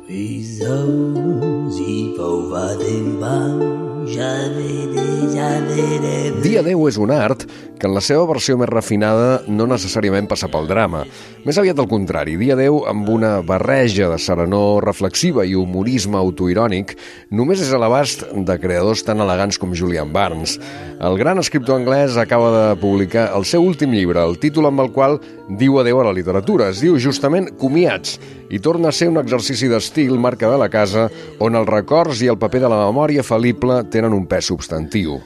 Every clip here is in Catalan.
Dia 10 és un art que en la seva versió més refinada no necessàriament passa pel drama. Més aviat al contrari, Dia 10, amb una barreja de serenor reflexiva i humorisme autoirònic, només és a l'abast de creadors tan elegants com Julian Barnes. El gran escriptor anglès acaba de publicar el seu últim llibre, el títol amb el qual diu adeu a la literatura. Es diu justament Comiats, i torna a ser un exercici d'estil, marca de la casa, on els records i el paper de la memòria fal·lible tenen un pes substantiu.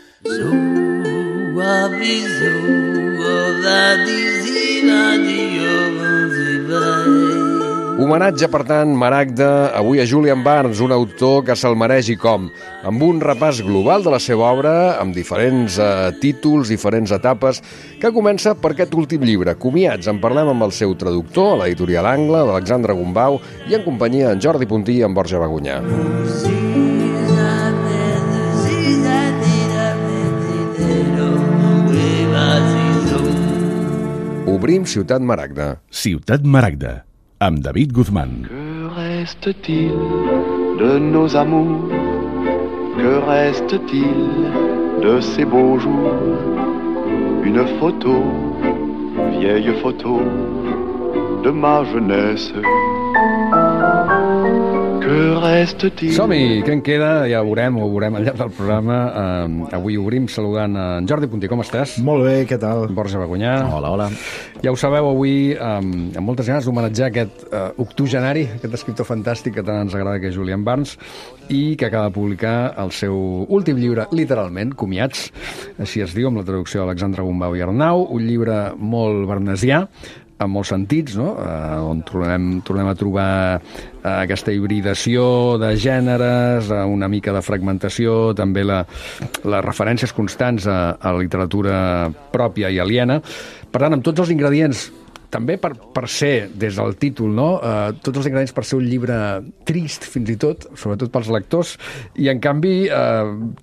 Homenatge, per tant, Maragda, avui a Julian Barnes, un autor que se'l mereix i com, amb un repàs global de la seva obra, amb diferents títols, diferents etapes, que comença per aquest últim llibre, Comiats. En parlem amb el seu traductor, a l'editorial Angle, d'Alexandre Gombau, i en companyia d'en Jordi Puntí i en Borja Bagunyà. Obrim Ciutat Maragda. Ciutat Maragda, amb David Guzmán. Que reste-t-il de nos amours? Que reste-t-il de ces beaux jours? Une photo, vieille photo de ma jeunesse. Que reste-t-il? Som-hi, què en queda? Ja ho veurem al llarg del programa. Avui obrim saludant en Jordi Puntí. Com estàs? Molt bé, què tal? Borja Bagunyà. Hola. Ja ho sabeu, avui, amb moltes ganes d'homenatjar aquest octogenari, aquest escriptor fantàstic que tant ens agrada, que és Julian Barnes, i que acaba de publicar el seu últim llibre, literalment, Comiats, així es diu, amb la traducció d'Alexandre Gombau i Arnau, un llibre molt barnesià, en molts sentits, no? On tornem a trobar aquesta hibridació de gèneres, una mica de fragmentació, també les referències constants a la literatura pròpia i aliena. Per tant, amb tots els ingredients, també per ser, des del títol, no? Tots els ingredients per ser un llibre trist, fins i tot, sobretot pels lectors, i en canvi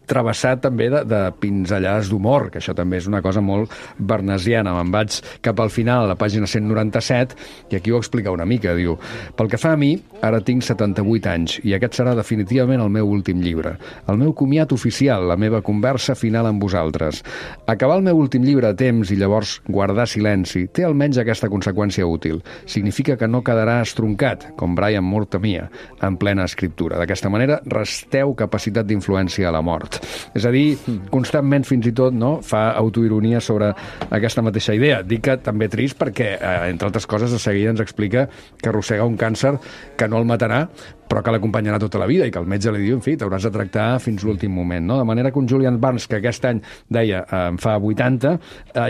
travessat també de pinzellades d'humor, que això també és una cosa molt barnesiana. Me'n vaig cap al final, a la pàgina 197, i aquí ho explica una mica, diu: pel que fa a mi, ara tinc 78 anys, i aquest serà definitivament el meu últim llibre. El meu comiat oficial, la meva conversa final amb vosaltres. Acabar el meu últim llibre a temps i llavors guardar silenci té almenys aquesta conseqüència útil. Significa que no quedarà estroncat, com Brian Moore temia, en plena escriptura. D'aquesta manera, resteu capacitat d'influència a la mort. És a dir, constantment, fins i tot, no, fa autoironia sobre aquesta mateixa idea. Dic que també trist perquè, entre altres coses, de seguida ens explica que arrossega un càncer que no el matarà, però que l'acompanyarà tota la vida i que el metge li diu, en fi, t'hauràs de tractar fins l'últim moment, no? De manera que un Julian Barnes, que aquest any, deia, en fa 80,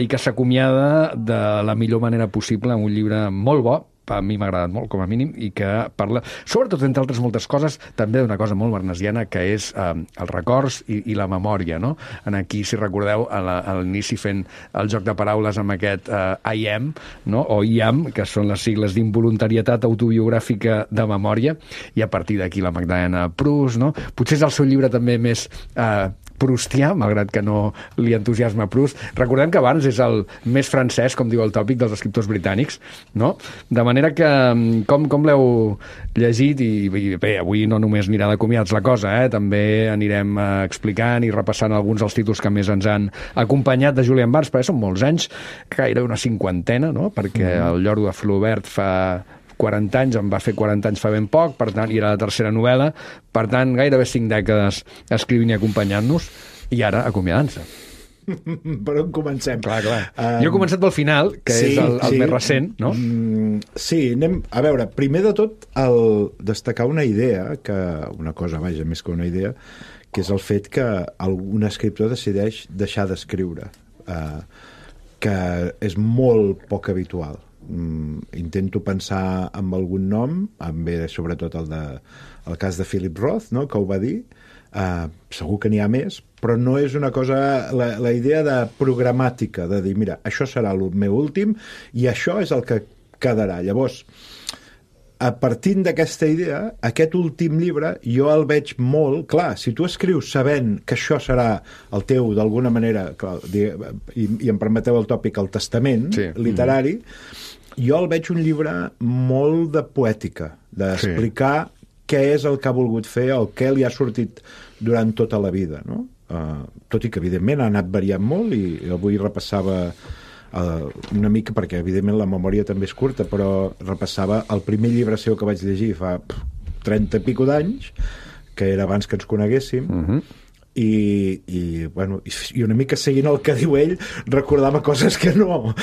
i que s'acomiada de la millor manera possible amb un llibre molt bo, a mi m'ha agradat molt, com a mínim, i que parla, sobretot, entre altres moltes coses, també d'una cosa molt barnesiana, que és els records i la memòria, no? En aquí, si recordeu, a l'inici fent el joc de paraules amb aquest I am, no? O IAM, que són les sigles d'involuntarietat autobiogràfica de memòria, i a partir d'aquí la Magdalena Proust, no? Potser és el seu llibre també més proustià, malgrat que no li entusiasma Proust. Recordem que Barnes és el més francès, com diu el tòpic, dels escriptors britànics, no? De manera que, com l'heu llegit, i bé, avui no només anirà de comiats la cosa, també anirem explicant i repassant alguns dels títols que més ens han acompanyat de Julian Barnes, perquè són molts anys, gairebé una cinquantena, no? Perquè el Lloro de Flaubert fa 40 anys, em va fer 40 anys fa ben poc, per tant, i era la tercera novel·la, per tant, gairebé 5 dècades escrivint i acompanyant-nos, i ara acomiadant-se. Per on comencem? Clar. Jo he començat pel final, que és el més recent, no? Sí, anem... A veure, primer de tot, destacar una idea, una cosa, vaja, més que una idea, que és el fet que un escriptor decideix deixar d'escriure, que és molt poc habitual. Intento pensar en algun nom, sobretot el cas de Philip Roth, no?, que ho va dir. Segur que n'hi ha més, però no és una cosa, la idea de programàtica, de dir, mira, això serà el meu últim i això és el que quedarà. Llavors, a partir d'aquesta idea, aquest últim llibre jo el veig molt clar. Si tu escrius sabent que això serà el teu, d'alguna manera, i em permeteu el tòpic, el testament literari, jo el veig un llibre molt de poètica, d'explicar què és el que ha volgut fer o què li ha sortit durant tota la vida, no? Tot i que, evidentment, ha anat variant molt i avui repassava una mica, perquè, evidentment, la memòria també és curta, però repassava el primer llibre seu que vaig llegir fa 30 i pico d'anys, que era abans que ens coneguéssim, i una mica seguint el que diu ell, recordava coses que no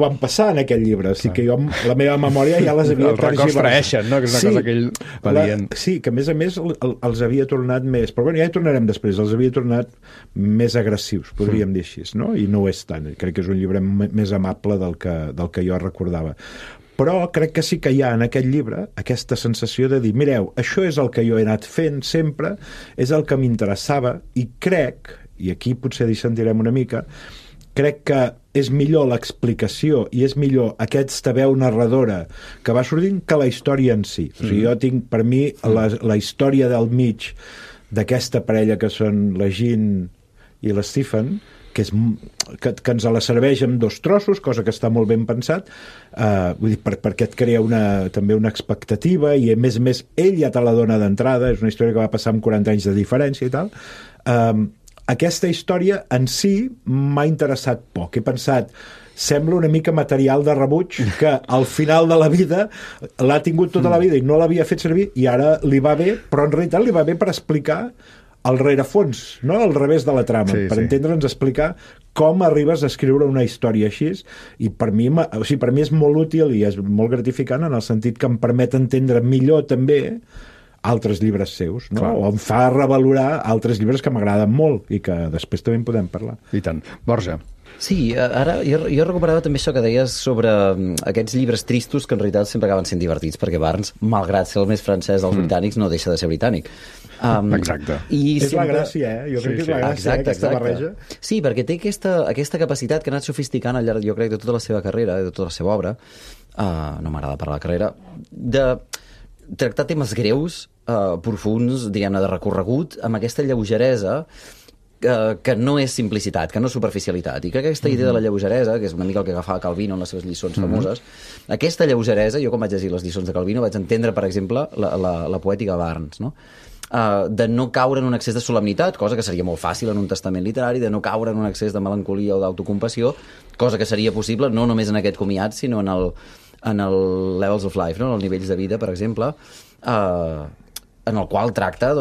van passar en aquell llibre, o sigui que jo la meva memòria ja les havia reconstrueixen, no? Que és una cosa que ell va dient. Sí, que a més els havia tornat més, però ja hi tornarem després, els havia tornat més agressius, podríem dir així, no? I no ho és tant, crec que és un llibre més amable del que jo recordava. Però crec que sí que hi ha en aquest llibre aquesta sensació de dir, mireu, això és el que jo he anat fent sempre, és el que m'interessava, i crec, i aquí potser dissentirem una mica, crec que és millor l'explicació i és millor aquesta veu narradora que va sortint que la història en si. O sigui, jo tinc, per mi, la història del mig d'aquesta parella que són la Jean i l'Stephen, que ens la serveix amb 2 trossos, cosa que està molt ben pensat, vull dir, perquè et crea també una expectativa, i a més ell ja te la dona d'entrada, és una història que va passar amb 40 anys de diferència i tal. Aquesta història en si m'ha interessat poc. He pensat, sembla una mica material de rebuig que al final de la vida l'ha tingut tota la vida i no l'havia fet servir, i ara li va bé, però en realitat li va bé per explicar el rerefons, no? Al revés de la trama, per entendre'ns, explicar com arribes a escriure una història així, i per mi és molt útil i és molt gratificant en el sentit que em permet entendre millor també altres llibres seus, no? O em fa revalorar altres llibres que m'agraden molt i que després també en podem parlar. I tant. Borja. Sí, ara jo recuperava també això que deies sobre aquests llibres tristos que en realitat sempre acaben sent divertits, perquè Barnes, malgrat ser el més francès dels britànics, no deixa de ser britànic. Exacte. És la gràcia, Jo crec que és la gràcia, aquesta barreja. Sí, perquè té aquesta capacitat que ha anat sofisticant al llarg, jo crec, de tota la seva carrera, de tota la seva obra, no m'agrada parlar de carrera, de tractar temes greus, profuns, diguem-ne, de recorregut, amb aquesta lleugeresa que no és simplicitat, que no és superficialitat. I crec que aquesta idea de la lleugeresa, que és una mica el que agafava Calvino en les seves lliçons famoses, aquesta lleugeresa, jo quan vaig llegir les lliçons de Calvino vaig entendre, per exemple, la poètica de Barnes, no? De no caure en un excés de solemnitat, cosa que seria molt fàcil en un testament literari, de no caure en un excés de melancolia o d'autocompassió, cosa que seria possible no només en aquest comiat, sinó en el Levels of Life, no? En els nivells de vida, per exemple, en el qual tracta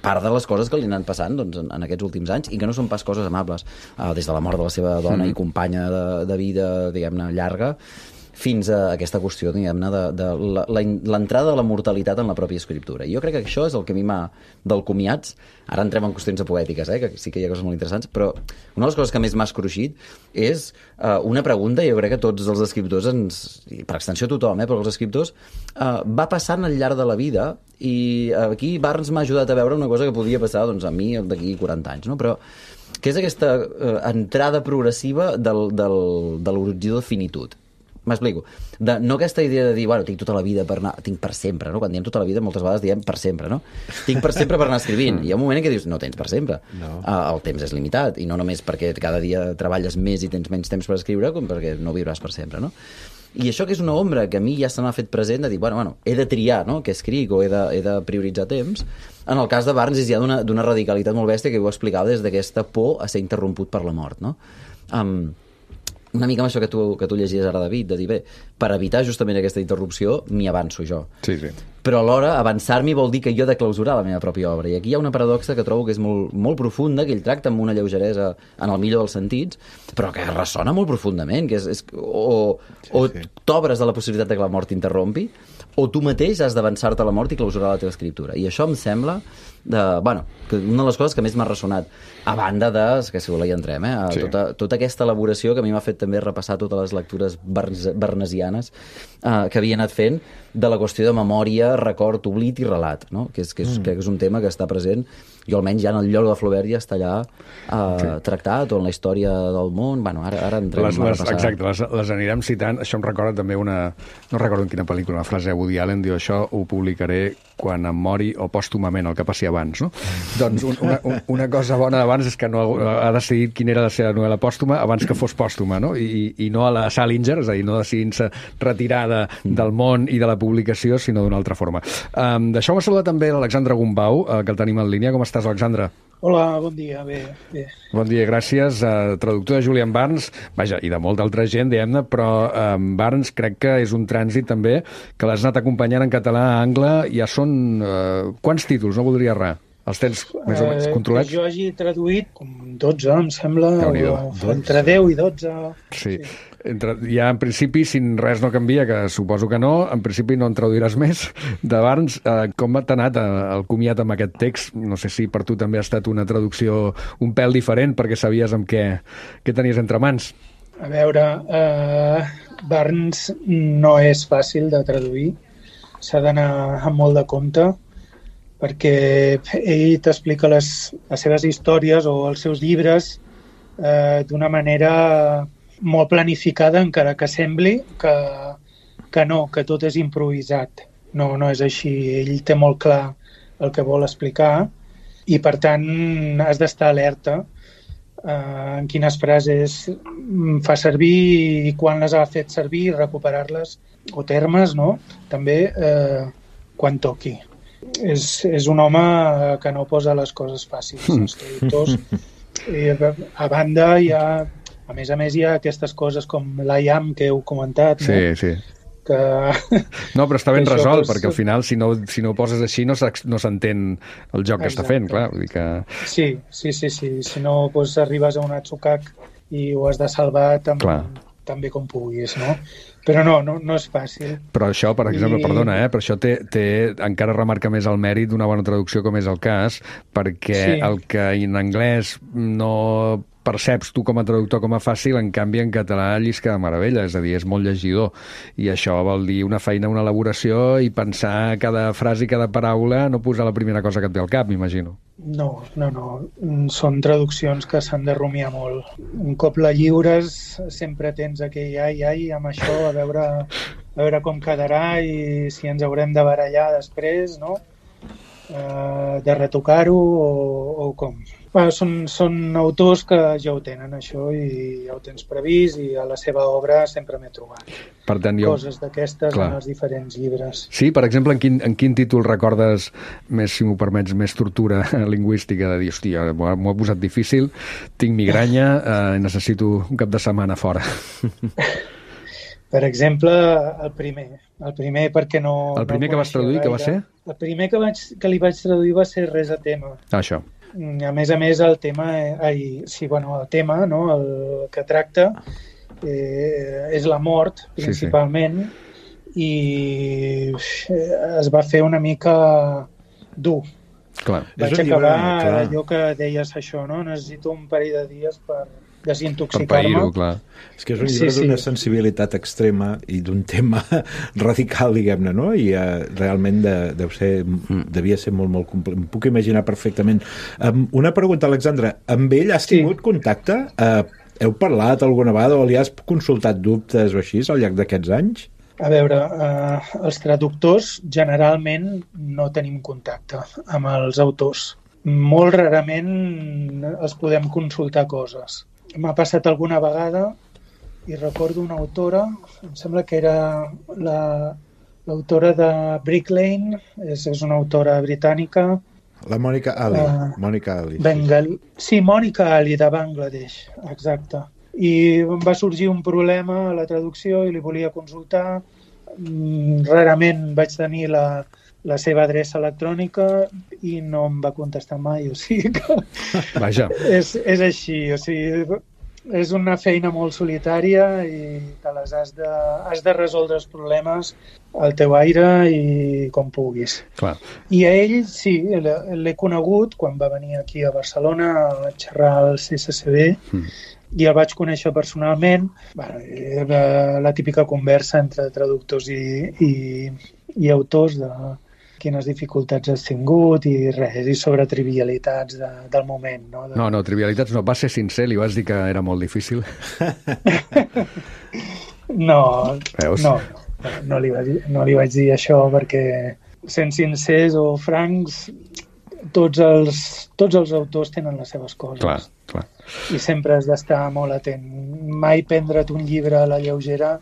part de les coses que li han passant en aquests últims anys, i que no són pas coses amables, des de la mort de la seva dona i companya de vida, diguem-ne, llarga, fins a aquesta qüestió, diguem-ne, de l'entrada de la mortalitat en la pròpia escriptura. I jo crec que això és el que a mi m'ha, del comiats, ara entrem en qüestions poètiques, que sí que hi ha coses molt interessants, però una de les coses que més m'ha escruixit és una pregunta, jo crec que tots els escriptors, per extensió tothom, però els escriptors, va passant al llarg de la vida, i aquí Barnes m'ha ajudat a veure una cosa que podia passar a mi d'aquí 40 anys, no? Però que és aquesta entrada progressiva de l'horitzó de finitud. M'explico. No aquesta idea de dir, bueno, tinc tota la vida per anar... Tinc per sempre, no? Quan diem tota la vida, moltes vegades diem per sempre, no? Tinc per sempre per anar escrivint. Hi ha un moment en què dius, no tens per sempre. No. El temps és limitat, i no només perquè cada dia treballes més i tens menys temps per escriure, com perquè no viuràs per sempre, no? I això que és una ombra que a mi ja se m'ha fet present de dir, bueno, he de triar, no?, què escric, o he de prioritzar temps. En el cas de Barnes és ja d'una radicalitat molt bèstia, que ho explicava des d'aquesta por a ser interromput per la mort, no? Una mica amb això que tu llegies ara, David, de dir, bé, per evitar justament aquesta interrupció, m'hi avanço jo. Sí. Però alhora, avançar-m'hi vol dir que jo he de clausurar la meva pròpia obra. I aquí hi ha una paradoxa que trobo que és molt, molt profunda, que ell tracta amb una lleugeresa en el millor dels sentits, però que ressona molt profundament, que o t'obres a la possibilitat que la mort t'interrompi, o tu mateix has d'avançar-te a la mort i clausurar la teva escriptura. I això em sembla que una de les coses que més m'ha ressonat, a banda que si voleu hi entrem, tota aquesta elaboració que a mi m'ha fet també repassar totes les lectures barnesianes que havia anat fent de la qüestió de memòria, record, oblit i relat, no? Crec que és un tema que està present, i almenys ja en el lloc de Flaubert ja està allà tractat, o en la història del món. Bueno, ara entrem a repassar. Exacte, les anirem citant. Això em recorda també no recordo en quina pel·lícula, una frase de Woody Allen, diu, això ho publicaré quan em mori o pòstumament, el que passi abans, no? Doncs una cosa bona d'abans és que no ha decidit quina era la seva novel·la pòstuma abans que fos pòstuma, no? I no a la Salinger, és a dir, no decidint-se retirar del món i de la publicació, sinó d'una altra forma. Deixeu-me saludar també l'Alexandre Gumbau, que el tenim en línia. Com estàs, Alexandre? Hola, bon dia, bé. Bon dia, gràcies. Traductor de Julian Barnes, vaja, i de molta altra gent, diguem-ne, però Barnes crec que és un trànsit també que l'has anat acompanyant en català a angle. Ja són... quants títols? No voldria errar. Els tens més o menys controlats? Jo hagi traduït com 12, em sembla, entre 10 i 12. Sí. Ja en principi, si res no canvia, que suposo que no, en principi no en traduiràs més de Barnes. Com t'ha anat el comiat amb aquest text? No sé si per tu també ha estat una traducció un pèl diferent, perquè sabies amb què tenies entre mans. A veure, Barnes no és fàcil de traduir, s'ha d'anar amb molt de compte, perquè ell t'explica les seves històries o els seus llibres d'una manera molt planificada, encara que sembli que no, que tot és improvisat. No és així. Ell té molt clar el que vol explicar i, per tant, has d'estar alerta en quines frases fa servir i quan les ha fet servir, recuperar-les, o termes, no? També quan toqui. És un home que no posa les coses fàcils. Els traductors, a banda, a més, hi ha aquestes coses com l'IAM que heu comentat. Sí. Que... No, però està ben resolt, perquè al final, si no ho poses així, no s'entén el joc que està fent, clar. Vull dir que... Sí. Si no, doncs arribes a un atzucac i ho has de salvar tan bé com puguis, no? Però no és fàcil. Però això, per exemple, perdona, però això encara remarca més el mèrit d'una bona traducció, com és el cas, perquè el que en anglès no perceps tu com a traductor com a fàcil, en canvi en català llisca de meravella, és a dir, és molt llegidor. I això vol dir una feina, una elaboració i pensar cada frase i cada paraula, no posar la primera cosa que et ve al cap, m'imagino. No. Són traduccions que s'han de rumiar molt. Un cop la lliures, sempre tens aquell ai, amb això, a veure com quedarà i si ens haurem de barallar després, no? De retocar-ho o com. Són autors que ja ho tenen, això, i ja ho tens previst, i a la seva obra sempre m'he trobat. Per tant, coses d'aquestes en els diferents llibres. Sí, per exemple, en quin títol recordes més, si m'ho permets, més tortura lingüística de dir, hòstia, m'ho ha posat difícil, tinc migranya, necessito un cap de setmana fora? Per exemple, el primer perquè no... El primer que vas traduir, que va ser? El primer que li vaig traduir va ser Res a tema. Això. A més, el tema, el tema, no? El que tracta és la mort, principalment, i es va fer una mica dur. Clar. Vaig acabar allò que deies això, no? Necessito un parell de dies per desintoxicar-me. Clar. És que és un llibre d'una sensibilitat extrema i d'un tema radical, diguem-ne, no? I realment devia ser molt, molt complex. Em puc imaginar perfectament. Una pregunta, Alexandre. Amb ell has tingut contacte? Heu parlat alguna vegada o li has consultat dubtes o així al llarg d'aquests anys? A veure, els traductors generalment no tenim contacte amb els autors. Molt rarament els podem consultar coses. M'ha passat alguna vegada i recordo una autora, em sembla que era l'autora de Brick Lane, és una autora britànica. La Mònica Ali. Mònica Ali. Sí, Mònica Ali, de Bangladesh, exacte. I em va sorgir un problema a la traducció i li volia consultar. Rarament vaig tenir la seva adreça electrònica i no em va contestar mai, o sigui que... Vaja. És així, o sigui, és una feina molt solitària i te les has de resoldre els problemes al teu aire i com puguis. Clar. I a ell, sí, l'he conegut quan va venir aquí a Barcelona a xerrar al CSCB i el vaig conèixer personalment. La típica conversa entre traductors i autors de quines dificultats has tingut i res, i sobre trivialitats del moment. No, trivialitats no. Vas ser sincer, li vas dir que era molt difícil? No li vaig dir això perquè, sent sincers o francs, tots els autors tenen les seves coses. Clar. I sempre has d'estar molt atent. Mai prendre't un llibre a la lleugera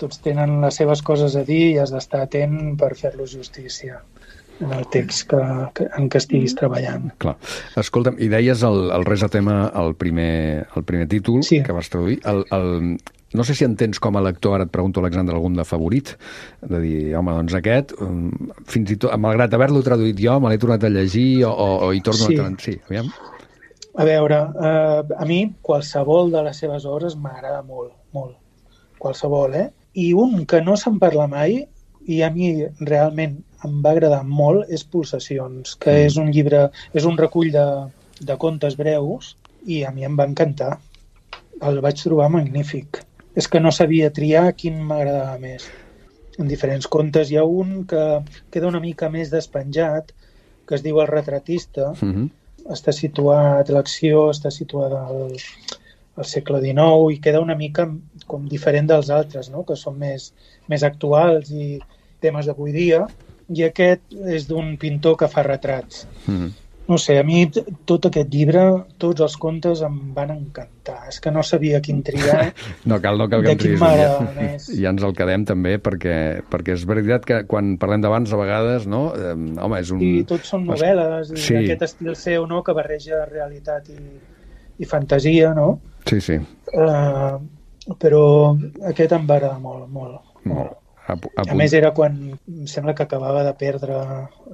tots tenen les seves coses a dir i has d'estar atent per fer-los justícia en el text en què estiguis treballant. Clar. Escolta'm, i deies el Res a tema, el primer títol que vas traduir. No sé si entens com a lector, ara et pregunto, Alexandre, algun de favorit, de dir, home, doncs aquest, fins i tot, malgrat haver-lo traduït jo, me l'he tornat a llegir o hi torno a... Sí, aviam. A veure, a mi qualsevol de les seves obres m'agrada molt, molt. Qualsevol, I un que no se'n parla mai, i a mi realment em va agradar molt, és Pulsacions, que és un llibre, és un recull de contes breus, i a mi em va encantar. El vaig trobar magnífic. És que no sabia triar quin m'agradava més. En diferents contes hi ha un que queda una mica més despenjat, que es diu El retratista. Està situat, l'acció està situada al segle XIX i queda una mica com diferent dels altres, no? Que són més actuals i temes d'avui dia. I aquest és d'un pintor que fa retrats. No sé, a mi tot aquest llibre, tots els contes em van encantar. És que no sabia quin triar. No cal que em triïs. Ja ens el quedem també, perquè és veritat que quan parlem d'abans, a vegades, no? Home, és un... I tots són novel·les, i aquest estil seu, no?, que barreja realitat i fantasia, no? Sí, sí. Però aquest em va agradar molt, molt. A més, era quan em sembla que acabava de perdre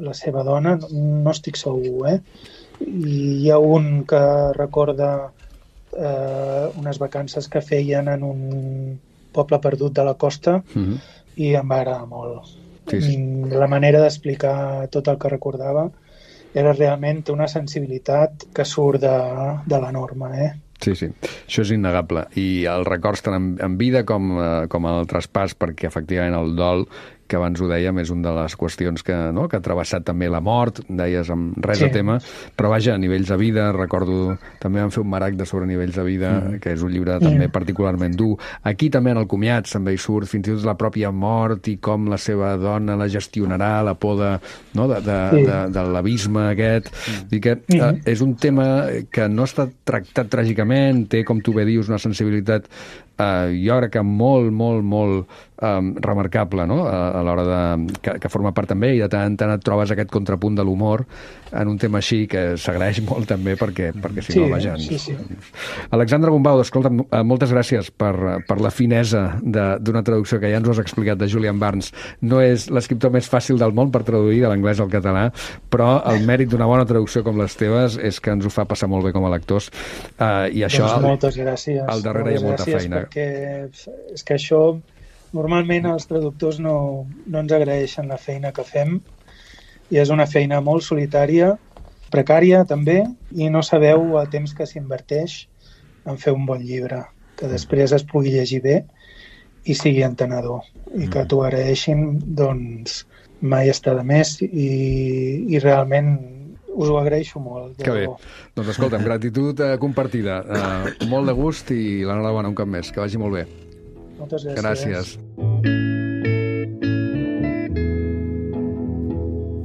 la seva dona, no estic segur, I hi ha un que recorda unes vacances que feien en un poble perdut de la costa i em va agradar molt. Sí. La manera d'explicar tot el que recordava era realment una sensibilitat que surt de la norma, Sí, això és innegable. I els records tant en vida com el traspàs, perquè efectivament el dol, que abans ho dèiem, és una de les qüestions que ha travessat també la mort, deies amb Res a tema, però vaja, a nivells de vida, recordo, també vam fer un maragde sobre nivells de vida, que és un llibre també particularment dur. Aquí també en el comiat també hi surt fins i tot la pròpia mort i com la seva dona la gestionarà, la por de l'abisme aquest. I que és un tema que no està tractat tràgicament, té, com tu bé dius, una sensibilitat jo crec que molt remarcable, no? A l'hora que forma part també, i de tant en tant et trobes aquest contrapunt de l'humor en un tema així que s'agraeix molt també perquè si no, vaja... Sí. Alexandre Gombau, escolta, moltes gràcies per la finesa d'una traducció que ja ens ho has explicat, de Julian Barnes. No és l'escriptor més fàcil del món per traduir de l'anglès al català, però el mèrit d'una bona traducció com les teves és que ens ho fa passar molt bé com a lectors, i això... Doncs moltes gràcies. Al darrere hi ha molta feina. Perquè és que això normalment els traductors no ens agraeixen la feina que fem, i és una feina molt solitària, precària també, i no sabeu el temps que s'inverteix en fer un bon llibre, que després es pugui llegir bé i sigui entenedor, i que t'ho agraeixin, doncs mai està de més, i realment us ho agraeixo molt. Que bé. Doncs escolta'm, gratitud compartida. Molt de gust i l'enhorabona un cop més. Que vagi molt bé. Moltes gràcies. Gràcies.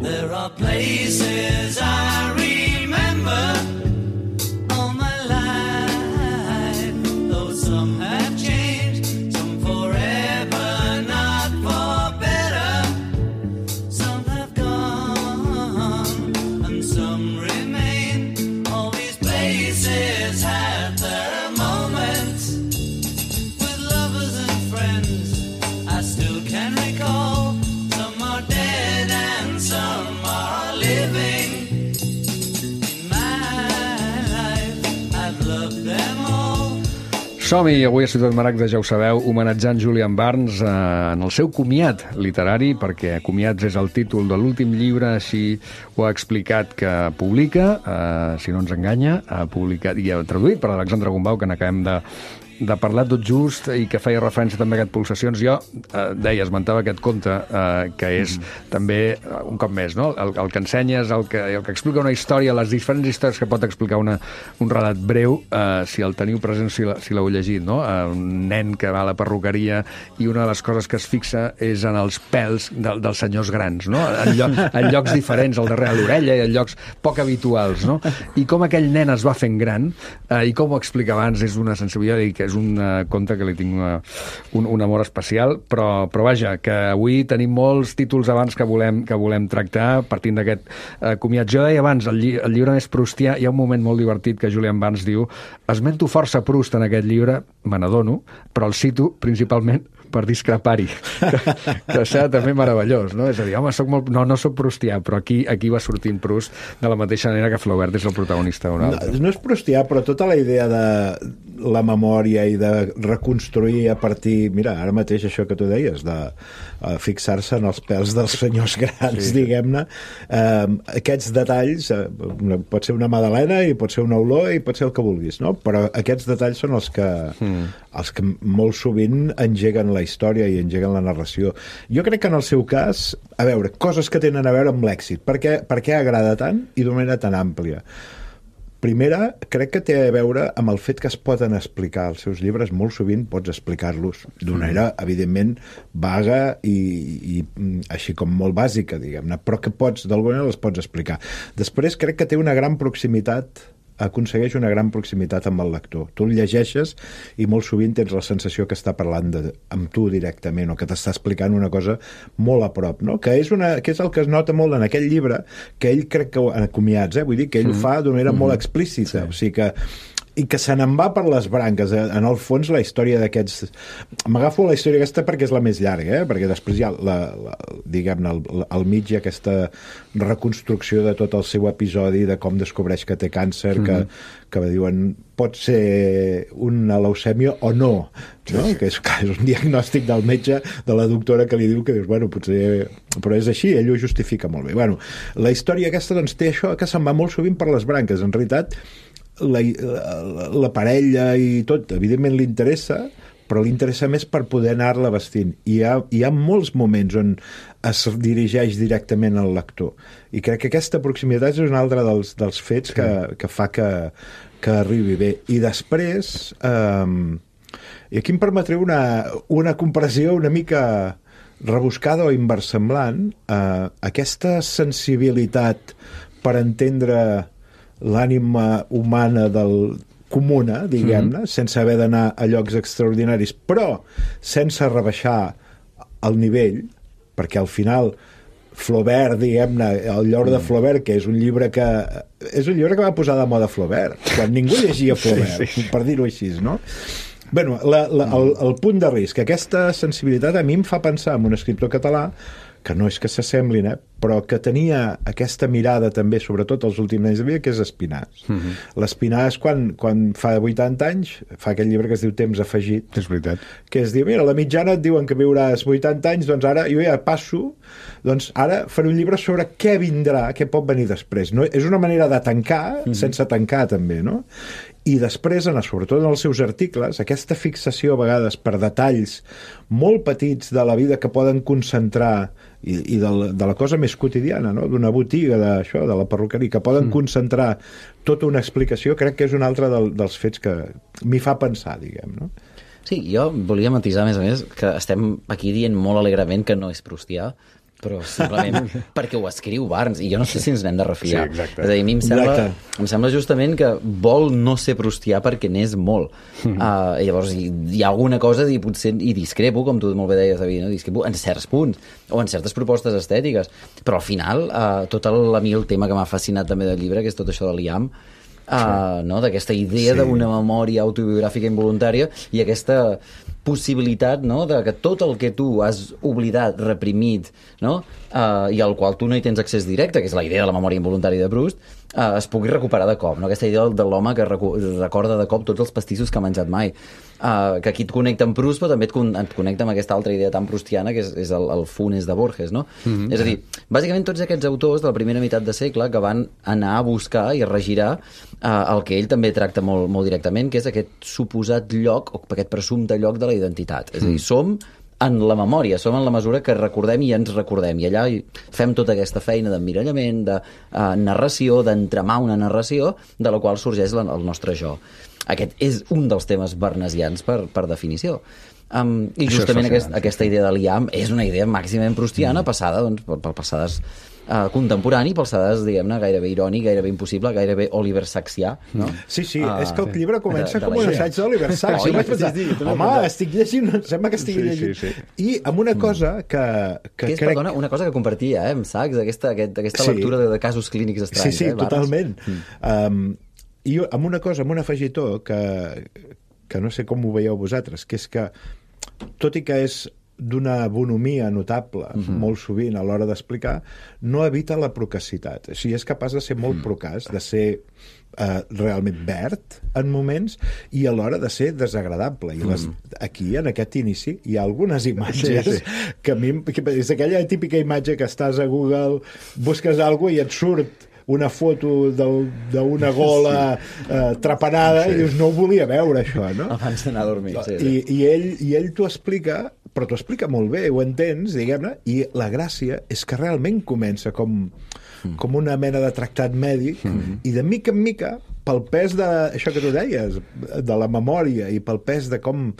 There are places I remember all my life, though some have changed, some forever, not for better. Some have gone and some remain. All these places have their moments with lovers and friends I still can recall. Some are dead and some are living. In my life I've loved them all. Som-hi, avui a Ciutat Maragda, ja ho sabeu, homenatjant Julian Barnes en el seu comiat literari, perquè Comiats és el títol de l'últim llibre, així ho ha explicat, que publica, si no ens enganya, ha publicat i ha traduït per Alexandre Gombau, que n'acabem de parlar tot just, i que feia referència també a aquest Pulsacions. Jo esmentava aquest conte, que és també, un cop més, no? El que ensenyes, el que explica una història, les diferents històries que pot explicar un relat breu, si el teniu present, si l'heu llegit, no? Un nen que va a la perruqueria i una de les coses que es fixa és en els pèls dels senyors grans, no? En llocs diferents, al darrere l'orella, i en llocs poc habituals, no? I com aquell nen es va fent gran, i com ho explica abans, és una sensibilitat, i que és un conte que li tinc un amor especial, però vaja, que avui tenim molts títols abans que volem tractar, partint d'aquest comiat. Jo deia abans, el llibre més proustià, hi ha un moment molt divertit que Julian Barnes diu: esmento força Proust en aquest llibre, me n'adono, però el cito principalment per discrepar-hi, que serà també meravellós, no? És a dir, home, no soc proustià, però aquí va sortint Proust de la mateixa manera que Flaubert és el protagonista d'un altre. No és proustià, però tota la idea de la memòria i de reconstruir a partir... Mira, ara mateix això que tu deies, de fixar-se en els pèls dels senyors grans, diguem-ne, aquests detalls, pot ser una magdalena i pot ser una olor i pot ser el que vulguis, no? Però aquests detalls són els que molt sovint engeguen la història i engeguen la narració. Jo crec que en el seu cas, a veure, coses que tenen a veure amb l'èxit. Per què agrada tant i d'una manera tan àmplia? Primera, crec que té a veure amb el fet que es poden explicar els seus llibres, molt sovint pots explicar-los d'una manera, evidentment, vaga i així com molt bàsica, diguem-ne, però que d'alguna manera les pots explicar. Després, crec que té una gran proximitat, aconsegueix una gran proximitat amb el lector. Tu el llegeixes i molt sovint tens la sensació que està parlant amb tu directament o que t'està explicant una cosa molt a prop, no? Que és el que es nota molt en aquell llibre, que ell crec que en Comiats, vull dir que ell fa d'una manera molt explícita, o sigui que i que se n'en va per les branques. En el fons, la història d'aquests... M'agafo la història aquesta perquè és la més llarga, perquè després hi ha, diguem-ne, al mig hi ha aquesta reconstrucció de tot el seu episodi, de com descobreix que té càncer, que diuen pot ser una leucèmia o no, que és un diagnòstic del metge, de la doctora, que li diu que dius, bueno, potser... Però és així, ell ho justifica molt bé. Bueno, la història aquesta doncs, té això que se'n va molt sovint per les branques. En realitat, la parella i tot, evidentment li interessa, però li interessa més per poder anar-la vestint. I hi ha molts moments on es dirigeix directament al lector. I crec que aquesta proximitat és un altre dels fets que fa que arribi bé. I després, i aquí em permetré una comparació una mica rebuscada o inversemblant, aquesta sensibilitat per entendre l'ànima humana comuna, diguem-ne, sense haver d'anar a llocs extraordinaris, però sense rebaixar el nivell, perquè al final Flaubert, diguem-ne, el llor de Flaubert, que és un llibre que va posar de moda Flaubert, quan ningú llegia Flaubert, per dir-ho així, no? Bueno, el punt de risc, aquesta sensibilitat a mi em fa pensar en un escriptor català que no és que s'assemblin, però que tenia aquesta mirada també, sobretot els últims anys de vida, que és Espinàs. L'Espinàs, quan fa 80 anys, fa aquell llibre que es diu Temps afegit. És veritat. Que es diu, mira, a la mitjana et diuen que viuràs 80 anys, doncs ara jo ja passo, doncs ara faré un llibre sobre què vindrà, què pot venir després. No? És una manera de tancar, sense tancar també, no? I després, sobretot en els seus articles, aquesta fixació a vegades per detalls molt petits de la vida que poden concentrar i de la cosa més quotidiana, no? D'una botiga, de la perruqueria, que poden concentrar tota una explicació, crec que és un altre dels fets que m'hi fa pensar, diguem, no? Sí, jo volia matisar, a més, que estem aquí dient molt alegrement que no és proustià, però simplement perquè ho escriu Barnes, i jo no sé si ens n'hem de refiar. Sí, exacte. És a dir, a mi em sembla justament que vol no ser proustià perquè n'és molt. Llavors, hi ha alguna cosa, potser, i discrepo, com tu molt bé deies, David, no? Discrepo en certs punts, o en certes propostes estètiques, però al final, a mi el tema que m'ha fascinat també del llibre, que és tot això de l'IAM, no? D'aquesta idea d'una memòria autobiogràfica involuntària i aquesta possibilitat, no? De que tot el que tu has oblidat, reprimit, no? I al qual tu no hi tens accés directe, que és la idea de la memòria involuntària de Proust, es pugui recuperar de cop, no? Aquesta idea de l'home que recorda de cop tots els pastissos que ha menjat mai, que aquí et connecta amb Proust, però també et connecta amb aquesta altra idea tan proustiana que és el Funes de Borges, no? És a dir, bàsicament tots aquests autors de la primera meitat de segle que van anar a buscar i a regirar el que ell també tracta molt, molt directament, que és aquest suposat lloc, o aquest presumpte lloc de la identitat. És a dir, som en la memòria, som en la mesura que recordem i ens recordem, i allà fem tota aquesta feina d'emmirallament, de narració, d'entramar una narració de la qual sorgeix el nostre jo. Aquest és un dels temes barnesians per definició. I justament aquesta idea de l'IAM és una idea màximament proustiana passada per passades contemporani, per alçades, diguem-ne, gairebé irònic, gairebé impossible, gairebé Oliver Sacksià, no? Sí, és que el llibre comença com un la assaig d'Oliver Sacks. Oi, Jo vaig pensar, sí, home, estic llegint, sembla que estigui llegint. Sí. I amb una cosa que és, crec... perdona, una cosa que compartia, amb Sacks, aquesta lectura de casos clínics estranys. Sí, Barnes. totalment. I amb una cosa, amb un afegitó, que no sé com ho veieu vosaltres, que és que, tot i que és d'una bonomia notable, molt sovint a l'hora d'explicar, no evita la procacitat. O sigui, és capaç de ser molt procaç, de ser realment verd en moments i alhora de ser desagradable. I aquí, en aquest inici, hi ha algunes imatges que a mi... És aquella típica imatge que estàs a Google, busques alguna cosa i et surt una foto d'una gola trapanada i dius, no ho volia veure, això, no? Abans d'anar a dormir. I ell t'ho explica, però t'ho explica molt bé, ho entens, diguem-ne, i la gràcia és que realment comença com una mena de tractat mèdic i de mica en mica, pel pes això que tu deies, de la memòria i pel pes de com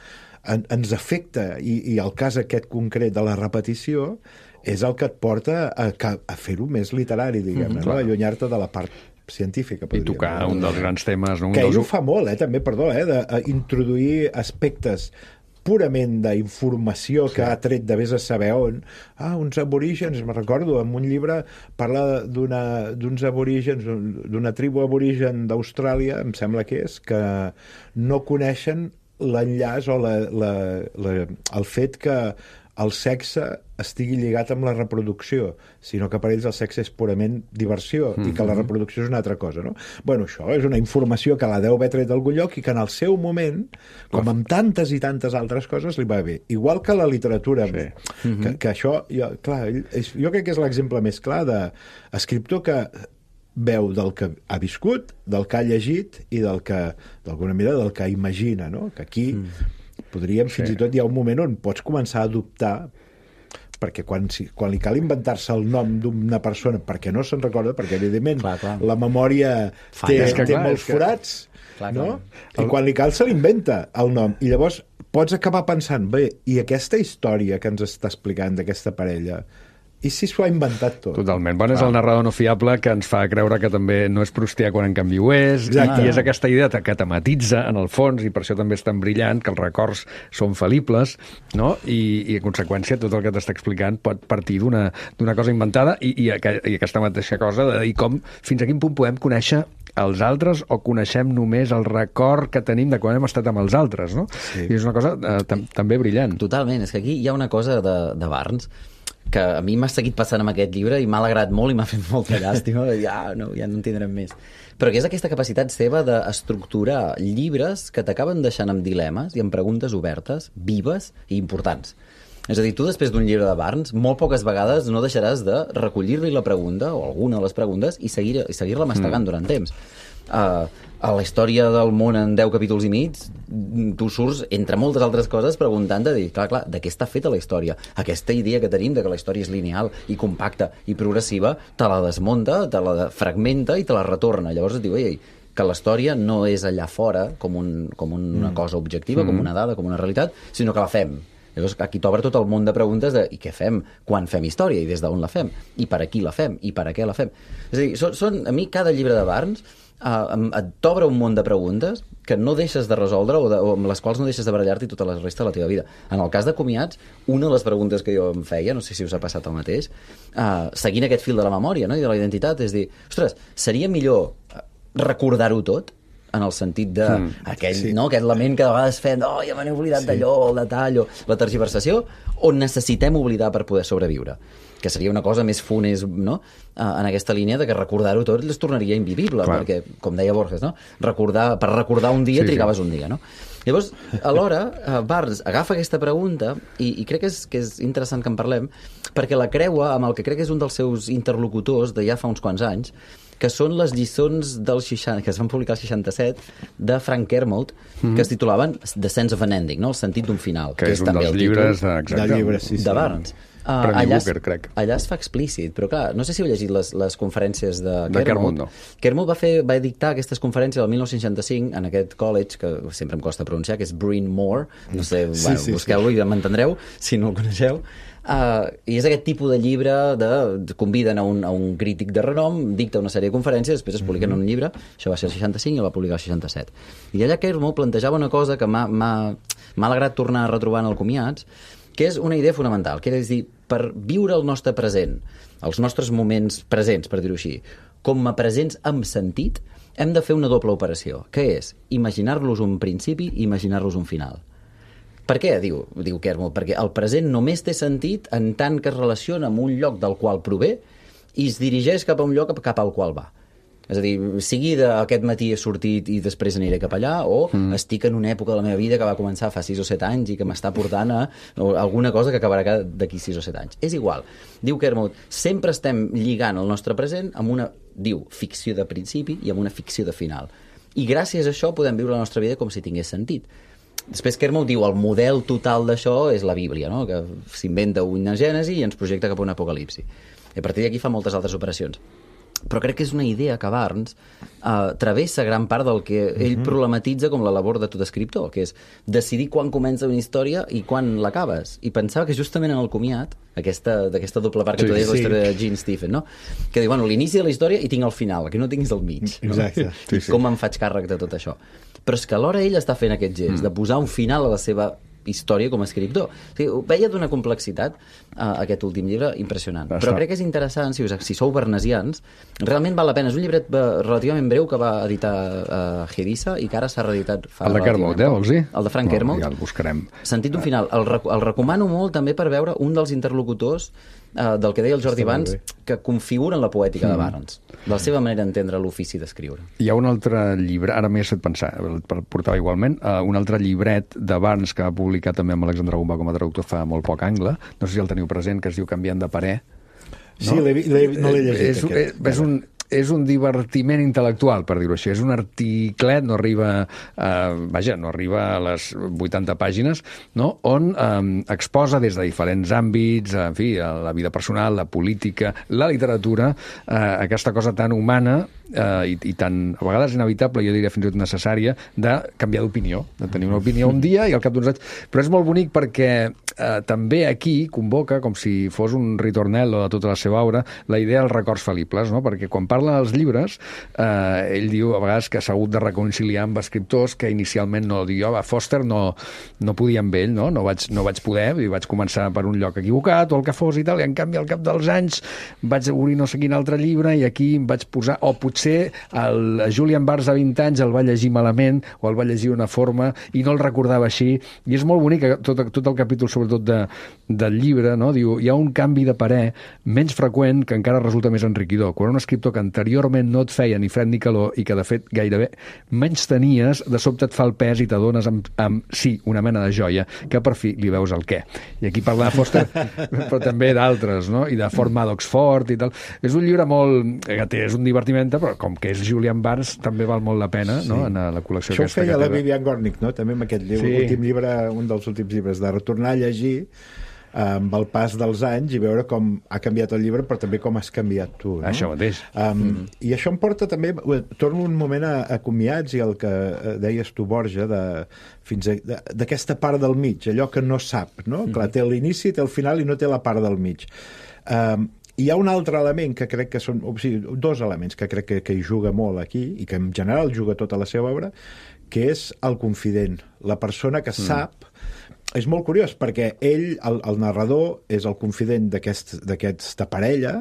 ens afecta i el cas aquest concret de la repetició és el que et porta a fer-ho més literari, diguem-ne, no? Allunyar-te de la part científica. I tocar un dels grans temes. Que ell ho fa molt, també, perdó, d'introduir aspectes purament d'informació que ha tret de vés a saber on. Uns aborígens, me'n recordo, en un llibre parla d'uns aborígens, d'una tribu aborigen d'Austràlia, em sembla que és, que no coneixen l'enllaç o el fet que el sexe estigui lligat amb la reproducció, sinó que per ells el sexe és purament diversió i que la reproducció és una altra cosa, no? Bueno, això és una informació que la deu haver tret d'algun lloc i que en el seu moment, com amb tantes i tantes altres coses, li va bé. Igual que la literatura, que això, jo crec que és l'exemple més clar d'escriptor que veu del que ha viscut, del que ha llegit i del que, d'alguna manera, del que imagina, no? Que aquí podríem, fins i tot hi ha un moment on pots començar a adoptar, perquè quan li cal inventar-se el nom d'una persona perquè no se'n recorda, perquè evidentment la memòria té molts forats, no? I quan li cal se l'inventa el nom, i llavors pots acabar pensant, bé, i aquesta història que ens està explicant d'aquesta parella, i si s'ho ha inventat tot? Totalment. Bueno, és el narrador no fiable que ens fa creure que també no és proustià quan en canvi ho és, i és aquesta idea que tematitza en el fons, i per això també és tan brillant, que els records són fal·libles, no? I en conseqüència tot el que t'està explicant pot partir d'una cosa inventada i aquesta mateixa cosa de dir com fins a quin punt podem conèixer els altres o coneixem només el record que tenim de quan hem estat amb els altres, no? I és una cosa també brillant. Totalment. És que aquí hi ha una cosa de Barnes que a mi m'ha seguit passant amb aquest llibre i m'ha alegrat molt i m'ha fet molta llàstima, ja no en tindrem més. Però que és aquesta capacitat seva d'estructurar llibres que t'acaben deixant amb dilemes i amb preguntes obertes, vives i importants. És a dir, tu després d'un llibre de Barnes, molt poques vegades no deixaràs de recollir-li la pregunta, o alguna de les preguntes, i seguir-la mastegant durant temps. A la història del món en 10 capítols i mig, tu surts, entre moltes altres coses, preguntant-te, clar, de què està feta la història? Aquesta idea que tenim de que la història és lineal i compacta i progressiva, te la desmunta, te la fragmenta i te la retorna. Llavors et diu, que la història no és allà fora com una cosa objectiva, com una dada, com una realitat, sinó que la fem. Llavors aquí t'obre tot el món de preguntes de i què fem, quan fem història i des d'on la fem, i per a qui la fem, i per a què la fem. És a dir, a mi cada llibre de Barnes t'obre un món de preguntes que no deixes de resoldre o amb les quals no deixes de barallar-t'hi tota la resta de la teva vida. En el cas de Comiats, una de les preguntes que jo em feia, no sé si us ha passat el mateix, seguint aquest fil de la memòria, no? I de la identitat, és dir, ostres, seria millor recordar-ho tot, en el sentit de aquest lament que de vegades fem, ja me n'he oblidat d'allò, el detall, o la tergiversació, o necessitem oblidar per poder sobreviure? Que seria una cosa més funest, no? En aquesta línia de que recordar-ho tot es tornaria invivible, perquè, com deia Borges, no? Per recordar un dia trigaves un dia, no? Llavors, alhora, Barnes agafa aquesta pregunta i crec que és interessant que en parlem, perquè la creua amb el que crec que és un dels seus interlocutors de ja fa uns quants anys, que són les lliçons que es van publicar al 67 de Frank Kermode, que es titulaven The Sense of an Ending, no? El sentit d'un final. Que és un dels llibres de Barnes. Premi Booker, crec. Allà es fa explícit, però clar, no sé si heu llegit les conferències de Kermode, no. Kermode va dictar aquestes conferències el 1965 en aquest college, que sempre em costa pronunciar, que és Bryn Mawr, no sé, busqueu-lo i m'entendreu, si no el coneixeu. I és aquest tipus de llibre conviden a un crític de renom, dicta una sèrie de conferències, després es publiquen en un llibre, això va ser el 65 i el va publicar el 67. I allà Kermode plantejava una cosa que m'ha alegrat tornar a retrobar en el Comiats, que és una idea fonamental, que és dir, per viure el nostre present, els nostres moments presents, per dir-ho així, com a presents amb sentit, hem de fer una doble operació, que és imaginar-los un principi i imaginar-los un final. Per què, diu Kermode? Perquè el present només té sentit en tant que es relaciona amb un lloc del qual prové i es dirigeix cap a un lloc cap al qual va. És a dir, sigui d'aquest matí he sortit i després aniré cap allà, o estic en una època de la meva vida que va començar fa 6 o 7 anys i que m'està portant a alguna cosa que acabarà d'aquí 6 o 7 anys. És igual. Diu Kermode, sempre estem lligant el nostre present amb una, ficció de principi i amb una ficció de final. I gràcies a això podem viure la nostra vida com si tingués sentit. Després Kermode diu el model total d'això és la Bíblia, no? Que s'inventa una gènesi i ens projecta cap a un apocalipsi. I a partir d'aquí fa moltes altres operacions. Però crec que és una idea que Barnes travessa gran part del que ell problematitza com la labor de tot escriptor, que és decidir quan comença una història i quan l'acabes. I pensava que justament en el Comiat, d'aquesta doble part que tu deies, la història de Gene Stephen, no? Que diu, l'inici de la història i tinc el final, el que no tinc és el mig. No? Exacte. I com em faig càrrec de tot això. Però és que alhora ell està fent aquest gest, de posar un final a la seva història com a escriptor. O sigui, veia d'una complexitat aquest últim llibre impressionant. Però crec que és interessant, si sou bernesians, realment val la pena. És un llibret relativament breu que va editar Hedisa i que ara s'ha reeditat fa... El de Kermode, vols dir? El de Frank Kermode. Ja el buscarem. Sentit un final. El recomano molt també per veure un dels interlocutors del que deia el Jordi abans, que configuren la poètica de Barnes, de la seva manera d'entendre l'ofici d'escriure. Hi ha un altre llibre, ara m'he fet pensar, el portava igualment, un altre llibret de Barnes que va publicar també amb Alexandre Gombà com a traductor fa molt poc angle, no sé si el teniu present, que es diu Canviant de parer. No? Sí, no l'he llegit. És un divertiment intel·lectual, per dir-ho així. És un articlet, no arriba a les 80 pàgines, no? On exposa des de diferents àmbits, en fi, la vida personal, la política, la literatura, aquesta cosa tan humana i tan, a vegades inevitable, jo diria fins i tot necessària, de canviar d'opinió, de tenir una opinió un dia i al cap d'uns anys. Però és molt bonic perquè també aquí convoca, com si fos un ritornello de tota la seva obra, la idea dels records fal·libles, no? Perquè quan parla dels llibres, ell diu a vegades que s'ha hagut de reconciliar amb escriptors que inicialment no diu, Foster no podia amb ell, no vaig poder, i vaig començar per un lloc equivocat o el que fos i tal, i en canvi al cap dels anys vaig obrir no sé quin altre llibre i aquí em vaig posar, o potser el Julian Barnes a 20 anys el va llegir malament o el va llegir d'una forma i no el recordava així, i és molt bonic tot el capítol sobretot del llibre, no? Diu, hi ha un canvi de parer menys freqüent que encara resulta més enriquidor. Quan un escriptor que anteriorment no et feia ni fred ni calor i que de fet gairebé menys tenies, de sobte et fa el pes i t'adones amb sí, una mena de joia, que per fi li veus el què. I aquí parla de Foster, però també d'altres, no? I de Fort Maddox Fort i tal. És un llibre molt... és un divertiment, però com que és Julian Barnes també val molt la pena, no? En la col·lecció això aquesta. Això ho feia la Vivian Gornick, no? També amb aquest llibre, un dels últims llibres, de retornar a llegir amb el pas dels anys i veure com ha canviat el llibre, però també com has canviat tu. No? Això mateix. I això em porta també... Torno un moment a Comiats i el que deies tu, Borja, d'aquesta part del mig, allò que no sap, no? Clar, té l'inici, té el final i no té la part del mig. Hi ha un altre element que crec que són... O sigui, dos elements que crec que hi juga molt aquí i que en general juga tota la seva obra, que és el confident, la persona que sap... És molt curiós, perquè ell, el narrador, és el confident d'aquesta parella,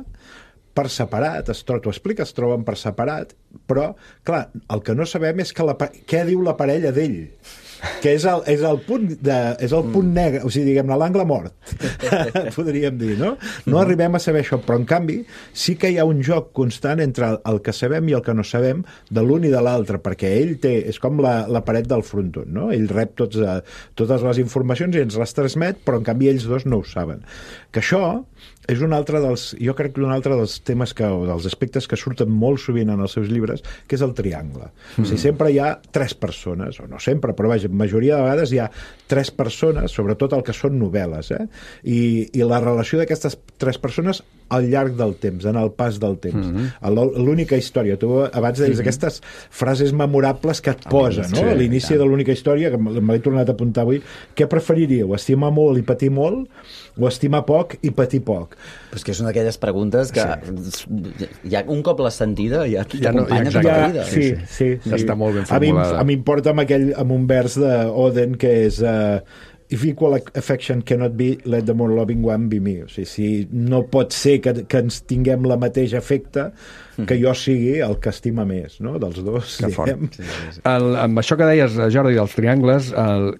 per separat, t'ho explica, es troben per separat, però, clar, el que no sabem és què diu la parella d'ell, que és el punt negre, o sigui, diguem-ne, l'angle mort, podríem dir, no? No arribem a saber això, però en canvi sí que hi ha un joc constant entre el que sabem i el que no sabem de l'un i de l'altre, perquè ell és com la paret del frontó, no? Ell rep totes les informacions i ens les transmet, però en canvi ells dos no ho saben. Que això és jo crec que un altre dels temes o dels aspectes que surten molt sovint en els seus llibres, que és el triangle. O sigui, sempre hi ha tres persones, o no sempre, però vaja, la majoria de vegades hi ha 3 persones, sobretot el que són novel·les, i la relació d'aquestes 3 persones al llarg del temps, en el pas del temps. L'única història. Tu abans deies aquestes frases memorables que et posa, no? A l'inici de l'única història, que me l'he tornat a apuntar avui, què preferiríeu? Estimar molt i patir molt o estimar poc i patir poc? Però és que és una d'aquelles preguntes que ja un cop l'has sentida ja t'acompanya tota la vida. Sí. Està molt ben formulada. A mi em porta amb un vers d'Oden que és if equal affection cannot be, let the more loving one be me. O sigui, si no pot ser que ens tinguem la mateixa afecte, que jo sigui el que estima més, no? Dels dos. Que fort. Amb això que deies, Jordi, dels triangles,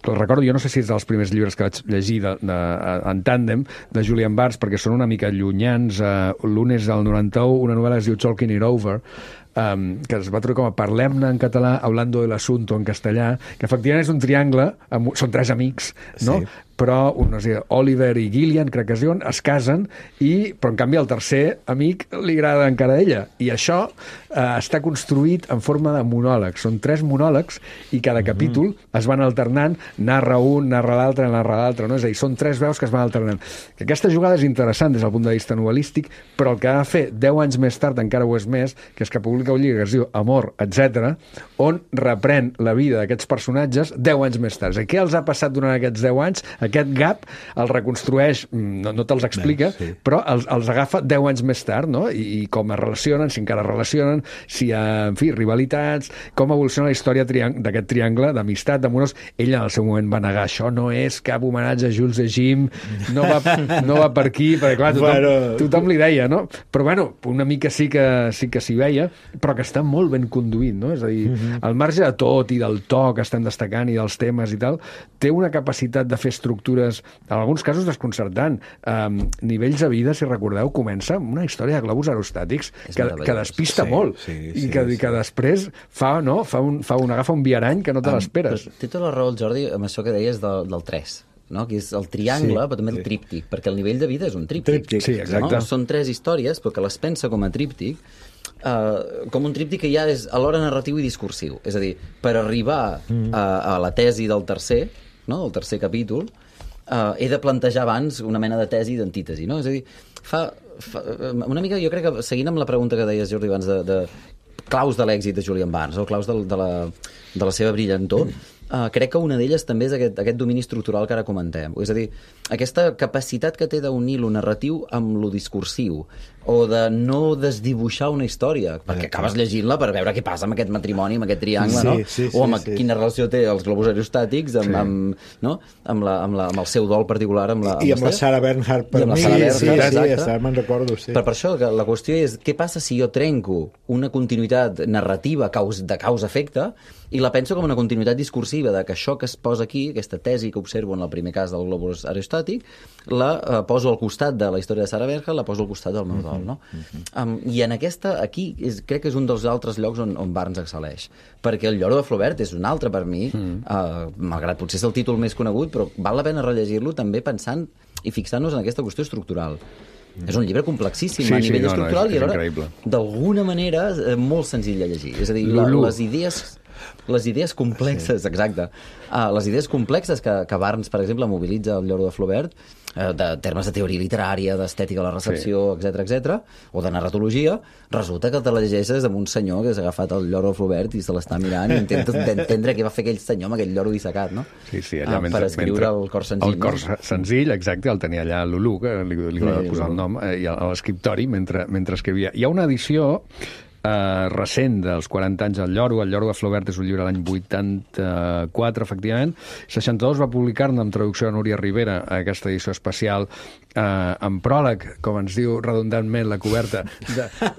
recordo, jo no sé si és dels primers llibres que vaig llegir en tàndem, de Julian Barnes, perquè són una mica llunyans. L'un és del 91, una novel·la que es diu Talking It Over, que es va trobar com a Parlem-ne en català, Hablando del Asunto en castellà, que efectivament és un triangle, són 3 amics, no? Sí. Però no sé, Oliver i Gillian, crec que es diuen, es casen, però en canvi el tercer amic li agrada encara a ella. I això està construït en forma de monòlegs. Són 3 monòlegs i cada capítol es van alternant, narra un, narra l'altre, no? És a dir, són 3 veus que es van alternant. Que aquesta jugada és interessant des del punt de vista novel·lístic, però el que ha de fer 10 anys més tard encara ho és més, que és que publica un llibre que es diu Amor, etc., on reprèn la vida d'aquests personatges 10 anys més tard. Què els ha passat durant aquests 10 anys? Aquest gap el reconstrueix, no te'ls explica, però els agafa 10 anys més tard, no? I com es relacionen, si encara relacionen, si hi ha, en fi, rivalitats, com evoluciona la història d'aquest triangle d'amistat, d'amorós. Ell en el seu moment va negar, això no és cap homenatge a Jules de Jim, no va per aquí, perquè clar, tothom li deia, no? Però bueno, una mica sí que s'hi veia, però que està molt ben conduït, no? És a dir, al marge de tot i del to que estem destacant i dels temes i tal, té una capacitat de fer estructures, en alguns casos desconcertant. Nivells de vida, si recordeu, comença amb una història de globus aerostàtics que despista molt i que després agafa un viarany que no te l'esperes. Té tota la raó el Jordi amb això que deies del 3, no? Que és el triangle, però també el tríptic, perquè el nivell de vida és un tríptic. Sí, exacte. No? Són 3 històries, però que les pensa com a tríptic, com un tríptic que ja és alhora narratiu i discursiu. És a dir, per arribar a la tesi del tercer, no? Del tercer capítol, he de plantejar abans una mena de tesi i d'antítesi, no? És a dir, fa una mica, jo crec que, seguint amb la pregunta que deies, Jordi, abans de claus de l'èxit de Julian Barnes, o claus de la seva brillantor, crec que una d'elles també és aquest domini estructural que ara comentem. És a dir, aquesta capacitat que té d'unir lo narratiu amb lo discursiu, o de no desdibuixar una història, perquè acabes llegint-la per veure què passa amb aquest matrimoni, amb aquest triangle, no? O amb quina relació té els globus aerostàtics amb el seu dol particular. I amb la Sarah Bernhardt, per mi. Me'n recordo, sí. Per això, que la qüestió és què passa si jo trenco una continuïtat narrativa de causa-efecte i la penso com una continuïtat discursiva, de que això que es posa aquí, aquesta tesi que observo en el primer cas del globus aerostàtic, la poso al costat de la història de Sarah Bernhardt, la poso al costat del meu dol. No? I en aquí crec que és un dels altres llocs on Barnes excel·leix, perquè el Lloro de Flaubert és un altre per mi, malgrat potser és el títol més conegut, però val la pena rellegir-lo també pensant i fixant-nos en aquesta qüestió estructural. És un llibre complexíssim a nivell estructural i alhora d'alguna manera molt senzill de llegir. És a dir, les idees complexes, exacte. Les idees complexes que Barnes, per exemple, mobilitza el Lloro de Flaubert, de termes de teoria literària, d'estètica de la recepció, etc, o de narratologia, resulta que te la llegeixes amb un senyor que s'ha agafat el Lloro de Flaubert i se l'està mirant i intenta entendre què va fer aquell senyor amb aquell lloro dissecat, no? Sí, allà per escriure el cor senzill. El cor senzill, exacte, el tenia allà Lulú, que li va posar el nom, i a l'escriptori mentre escrivia. Hi ha una edició recent dels 40 anys del Lloro. El Lloro de Flaubert és un llibre de l'any 84, efectivament. 62 va publicar-ne amb traducció de Núria Rivera aquesta edició especial amb pròleg, com ens diu redundantment la coberta,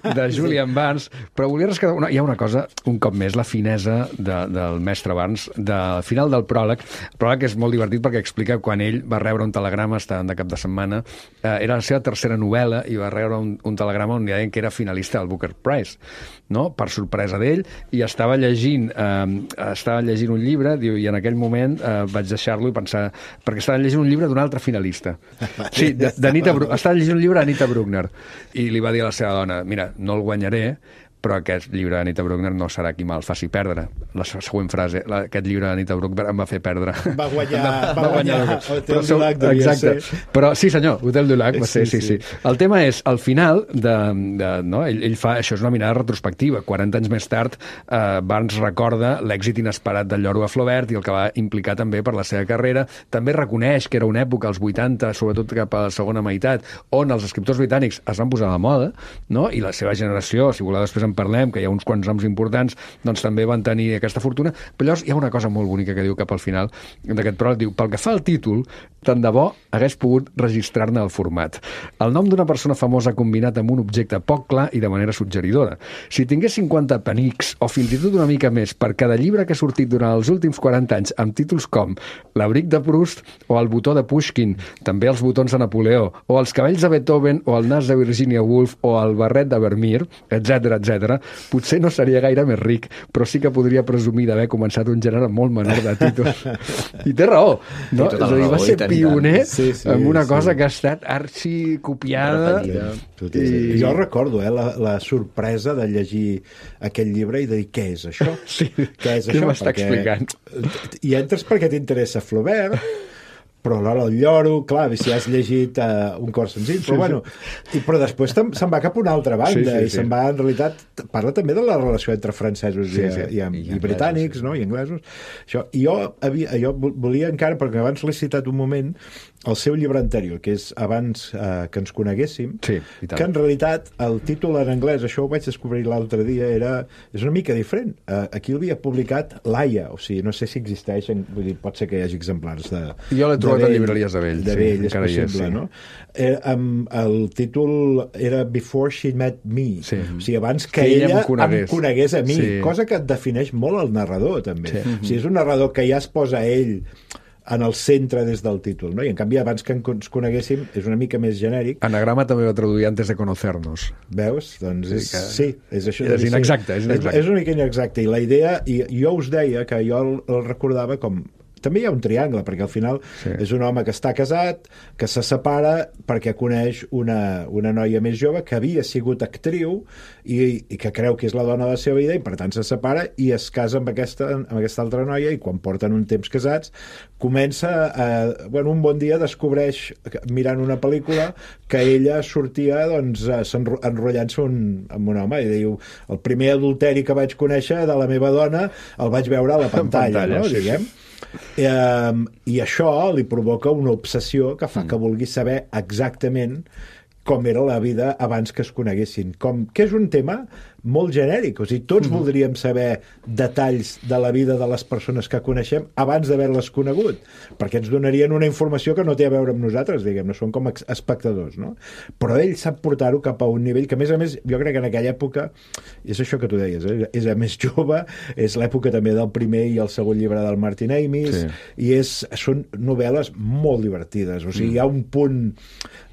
de Julian Barnes. Però volia rescatar... Hi ha una cosa, un cop més, la finesa del mestre Barnes. Al final del pròleg, el pròleg és molt divertit perquè explica quan ell va rebre un telegrama, estàvem de cap de setmana, era la seva tercera novel·la i va rebre un telegrama on deien que era finalista del Booker Prize, no? Per sorpresa d'ell, i estava llegint un llibre, diu, i en aquell moment vaig deixar-lo i pensar, perquè estava llegint un llibre d'un altre finalista. Sí, estava llegint un llibre d'Anita Bruckner, i li va dir a la seva dona, mira, no el guanyaré, però aquest llibre d'Anita Bruckner no serà qui me'l faci perdre. La següent frase, aquest llibre d'Anita Bruckner em va fer perdre. Va guanyar Hotel du Lac, devia exacte. ser. Però sí, senyor, Hotel du Lac va ser, sí. El tema és, al final, no? ell fa, això és una mirada retrospectiva. 40 anys més tard, Barnes recorda l'èxit inesperat del Lloro a Flaubert i el que va implicar també per la seva carrera. També reconeix que era una època, als 80, sobretot cap a la segona meitat, on els escriptors britànics es van posar de moda, no? I la seva generació, si voleu després en parlem, que hi ha uns quants noms importants, doncs també van tenir aquesta fortuna. Però llavors hi ha una cosa molt bonica que diu cap al final d'aquest pròleg, diu, pel que fa al títol, tant de bo hagués pogut registrar-ne el format. El nom d'una persona famosa combinat amb un objecte poc clar i de manera suggeridora. Si tingués 50 penics, o fins i tot una mica més, per cada llibre que ha sortit durant els últims 40 anys amb títols com L'abric de Proust o El botó de Pushkin, també els botons de Napoleó, o Els cabells de Beethoven, o El nas de Virginia Woolf, o El barret de Vermeer, etc., potser no seria gaire més ric, però sí que podria presumir d'haver començat un gènere molt menor de títols. I té raó, no? És a dir, va ser pioner en una cosa que ha estat arxicopiada. Jo recordo la sorpresa de llegir aquest llibre i de dir, què és això? Sí, què és què això? m'està explicant? I entres perquè t'interessa Flaubert, però l'hora del lloro, clar, si has llegit un cor senzill, però bueno, però després se'n va cap a una altra banda i se'n va, en realitat, parla també de la relació entre francesos i britànics, no? I anglesos. Això. I jo volia encara, perquè abans l'he citat un moment, el seu llibre anterior, que és Abans que ens coneguéssim, que en realitat el títol en anglès, això ho vaig descobrir l'altre dia, és una mica diferent. Aquí l'havia publicat Laia, o sigui, no sé si existeix, vull dir, pot ser que hi hagi exemplars de... Jo l'he trobat a llibreries de vell. De vell, és possible, no? El títol era Before She Met Me, o sigui, abans que ella em conegués a mi, cosa que et defineix molt el narrador, també. O sigui, és un narrador que ja es posa ell en el centre des del títol, no? I en canvi, abans que ens coneguéssim, és una mica més genèric. Anagrama també va traduir Antes de conocernos. Veus? Doncs és això. És inexacte. És una mica inexacte. I la idea, i jo us deia que jo el recordava com... També hi ha un triangle, perquè al final és un home que està casat, que se separa perquè coneix una noia més jove que havia sigut actriu i que creu que és la dona de la seva vida i per tant se separa i es casa amb aquesta altra noia i quan porten un temps casats comença un bon dia descobreix mirant una pel·lícula que ella sortia enrotllant-se amb un home i diu, el primer adulteri que vaig conèixer de la meva dona el vaig veure a la pantalla, no? Diguem. I això li provoca una obsessió que fa que vulgui saber exactament com era la vida abans que es coneguessin, que és un tema molt genèric, o sigui, tots voldríem saber detalls de la vida de les persones que coneixem abans d'haver-les conegut, perquè ens donarien una informació que no té a veure amb nosaltres, diguem, no som com espectadors, no? Però ell sap portar-ho cap a un nivell que, a més, jo crec que en aquella època, és això que tu deies, és a més jove, és l'època també del primer i el segon llibre del Martin Amis, i són novel·les molt divertides, o sigui, hi ha un punt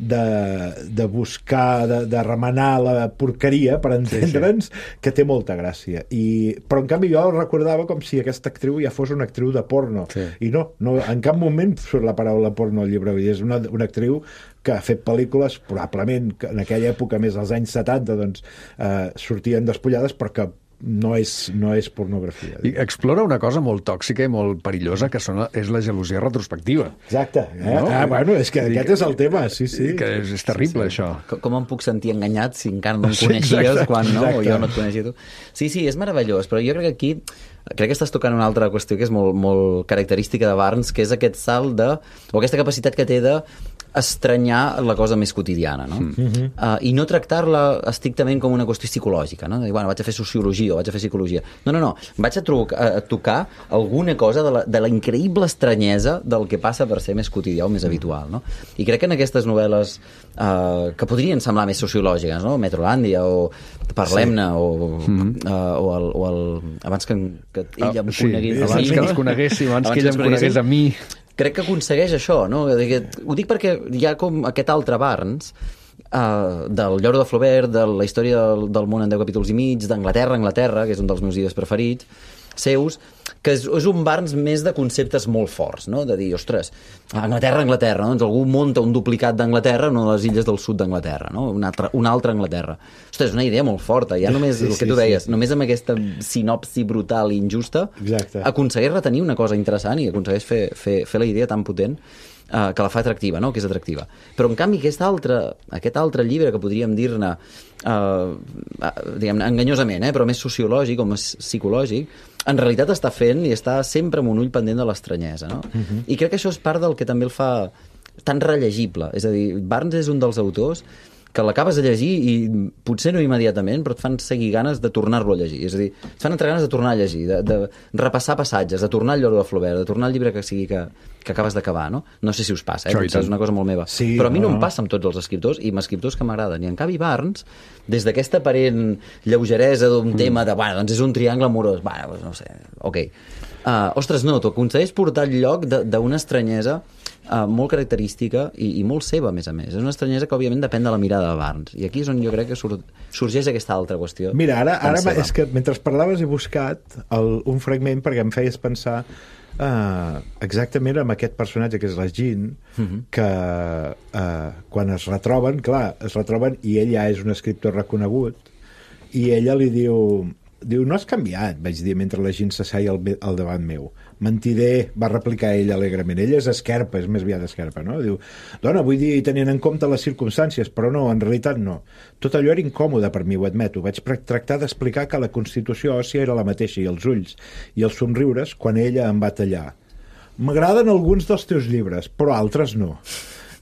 de buscar, de remenar la porqueria, per entendre'ns, que té molta gràcia. Però en canvi jo recordava com si aquesta actriu ja fos una actriu de porno. I no, en cap moment surt la paraula porno al llibre. És una actriu que ha fet pel·lícules, probablement en aquella època, més als anys 70, doncs, sortien despullades, però que no és pornografia. I explora una cosa molt tòxica i molt perillosa, que és la gelosia retrospectiva. Exacte. Bueno, és que aquest és el tema, sí. Que és terrible, això. Com em puc sentir enganyat si encara no em coneixies quan no, o jo no et coneixia tu? Sí, és meravellós, però jo crec que aquí crec que estàs tocant una altra qüestió que és molt, molt característica de Barnes, que és aquest salt o aquesta capacitat que té de estranyar la cosa més quotidiana, no? I no tractar-la estrictament com una qüestió psicològica, no? De dir, vaig a fer sociologia o vaig a fer psicologia. No. Vaig a tocar alguna cosa de la increïble estranyesa del que passa per ser més quotidià o més habitual, no? I crec que en aquestes novel·les que podrien semblar més sociològiques, no? Metrolàndia o Parlem-ne o abans que ella em conegués abans que ens coneguéssim, abans que ella em conegués a mi. Crec que aconsegueix això, no? Ho dic perquè hi ha com aquest altre Barnes del Lloro de Flaubert, de la història del món en 10 capítols i mig, d'Anglaterra, que és un dels meus llibres preferits, seus, que és un Barnes més de conceptes molt forts, no? De dir, ostres, Anglaterra, no? Doncs algú munta un duplicat d'Anglaterra en una de les illes del sud d'Anglaterra, no? Una altra Anglaterra. Ostres, és una idea molt forta, ja només el que tu deies, només amb aquesta sinopsi brutal i injusta, aconsegueix retenir una cosa interessant i aconsegueix fer la idea tan potent que la fa atractiva, no? Que és atractiva. Però, en canvi, aquest altre llibre que podríem dir-ne diguem-ne, enganyosament, però més sociològic o més psicològic, en realitat està fent i està sempre amb un ull pendent de l'estranyesa, no? I crec que això és part del que també el fa tan rellegible. És a dir, Barnes és un dels autors que l'acabes de llegir i potser no immediatament, però et fan seguir ganes de tornar-lo a llegir. És a dir, et fan entrar ganes de tornar a llegir, de repassar passatges, de tornar al Lloro de Flaubert, de tornar al llibre que sigui que acabes d'acabar, no? No sé si us passa, potser és una cosa molt meva. Sí, però a mi no em passa amb tots els escriptors i amb escriptors que m'agraden. I en canvi Barnes, des d'aquesta aparent lleugeresa d'un tema de, bueno, doncs és un triangle amorós, bueno, doncs no sé, ok. Ostres, no, t'ho aconsegueix portar al lloc d'una estranyesa molt característica i molt seva, a més. És una estranyesa que, òbviament, depèn de la mirada de Barnes. I aquí és on jo crec que sorgeix aquesta altra qüestió. Mira, ara és que mentre parlaves he buscat un fragment perquè em feies pensar exactament amb aquest personatge que és la Jean, que quan es retroben, i ell ja és un escriptor reconegut, i ella li diu, no has canviat, vaig dir, mentre la Jean s'asseia al davant meu. Mentider, va replicar ell alegrement. Ella és esquerpa, és més aviat esquerpa, no? Diu, dona, vull dir, tenint en compte les circumstàncies, però no, en realitat no. Tot allò era incòmode per mi, ho admeto. Vaig tractar d'explicar que la constitució òssia era la mateixa, i els ulls i els somriures, quan ella em va tallar. M'agraden alguns dels teus llibres, però altres no.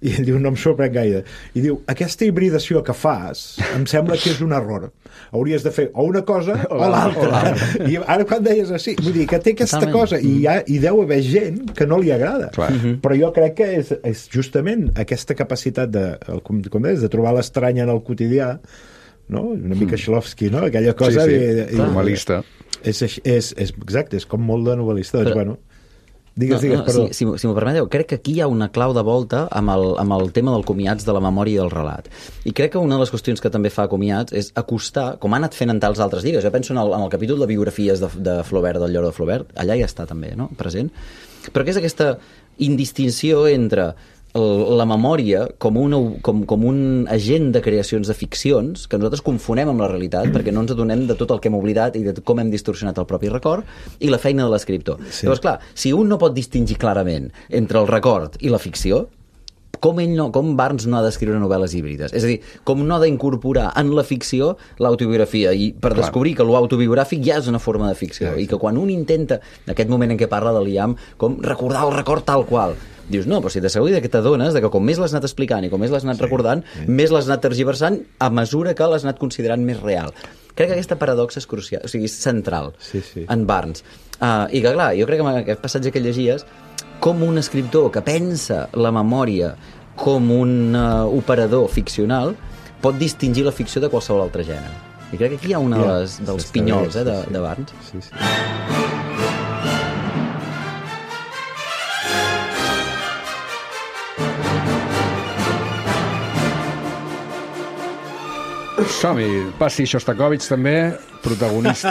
I ell diu, no em sorprèn gaire. I diu, aquesta hibridació que fas em sembla que és un error. Hauries de fer o una cosa o l'altra. I ara quan deies així, vull dir que té aquesta cosa i deu haver gent que no li agrada. Però jo crec que és justament aquesta capacitat com deies, de trobar l'estrany en el quotidià, no? Una mica Shklovsky, no? Aquella cosa novel·lista. Exacte, és com molt de novel·lista. Doncs, bueno, digues, perdó. Si m'ho permeteu, crec que aquí hi ha una clau de volta amb el tema del comiats, de la memòria i del relat. I crec que una de les qüestions que també fa comiats és acostar, com ha anat fent en tals altres llibres. Jo penso en el capítol de biografies de Flaubert, del Lloro de Flaubert, allà ja està també, no?, present. Però que és aquesta indistinció entre la memòria com un agent de creacions de ficcions que nosaltres confonem amb la realitat perquè no ens adonem de tot el que hem oblidat i de com hem distorsionat el propi record i la feina de l'escriptor. Llavors, clar, si un no pot distingir clarament entre el record i la ficció, com Barnes no ha d'escriure novel·les híbrides? És a dir, com no ha d'incorporar en la ficció l'autobiografia, i per descobrir que l'autobiogràfic ja és una forma de ficció, i que quan un intenta, en aquest moment en què parla de Liam, com recordar el record tal qual, dius, no, però si t'asseguri que t'adones que com més l'has anat explicant i com més l'has anat recordant, més l'has anat tergiversant a mesura que l'has anat considerant més real. Crec que aquesta paradoxa és crucial, o sigui, és central en Barnes. I que, clar, jo crec que en aquest passatge que llegies, com un escriptor que pensa la memòria com un operador ficcional pot distingir la ficció de qualsevol altre gènere. I crec que aquí hi ha un dels pinyols de Barnes. Sí. Som-hi, passi Shostakovich també, protagonista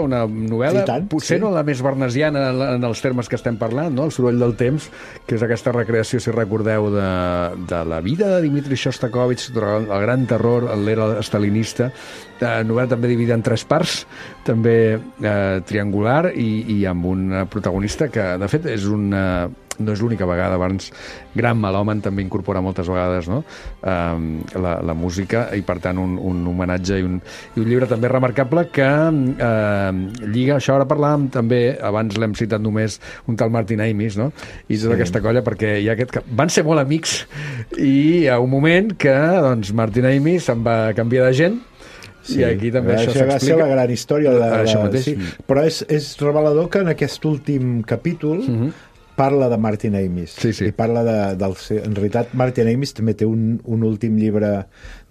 una novel·la, potser no la més barnesiana en els termes que estem parlant, no? El soroll del temps, que és aquesta recreació, si recordeu, de la vida de Dmitri Shostakovich, el gran terror, l'era estalinista, novel·la també dividida en 3 parts, també triangular i amb un protagonista que, de fet, no és l'única vegada. Barnes, gran melòman, també incorpora moltes vegades, no? La música, i per tant un homenatge i un llibre també remarcable que lliga, això ara parlàvem també, abans l'hem citat només, un tal Martin Amis, no? I tota aquesta colla, perquè hi ha van ser molt amics i hi ha un moment que doncs, Martin Amis se'n va canviar de gent. I aquí també això s'explica. Va ser la gran història. Però és revelador que en aquest últim capítol parla de Martin Amis. I parla en realitat, Martin Amis també té un últim llibre,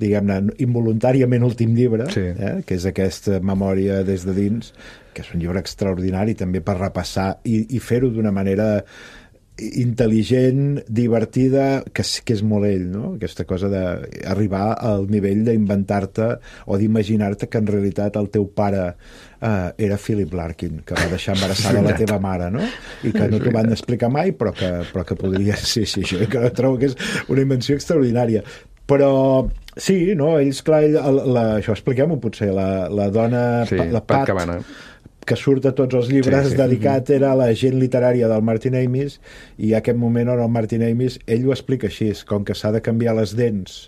diguem-ne, involuntàriament últim llibre, que és aquesta memòria des de dins, que és un llibre extraordinari també per repassar i fer-ho d'una manera intel·ligent, divertida, que és molt ell, no? Aquesta cosa d'arribar al nivell d'inventar-te o d'imaginar-te que en realitat el teu pare era Philip Larkin, que va deixar embarassada la teva mare, no? I que no t'ho van explicar mai, però que podria... Sí, això que trobo que és una invenció extraordinària. Però sí, no? Ells, clar, això expliquem-ho potser, la dona, la Pat Cabana, que surt a tots els llibres, dedicat era a la gent literària del Martin Amis, i a aquest moment on el Martin Amis, ell ho explica així, com que s'ha de canviar les dents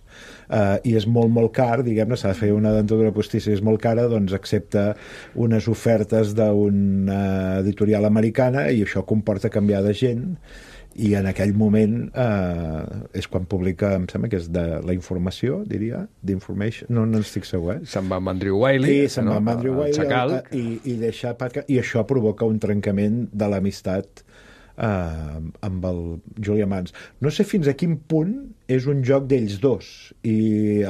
i és molt, molt car, diguem-ne, s'ha de fer una dentadura postissa i és molt cara, doncs accepta unes ofertes d'una editorial americana i això comporta canviar de gent, i en aquell moment és quan publica, em sembla que és de la informació, diria, d'Information, no estic segur, Se'n va amb Andrew Wiley, se'n va amb Andrew Wiley i això provoca un trencament de l'amistat amb el Julian Barnes. No sé fins a quin punt és un joc d'ells dos, i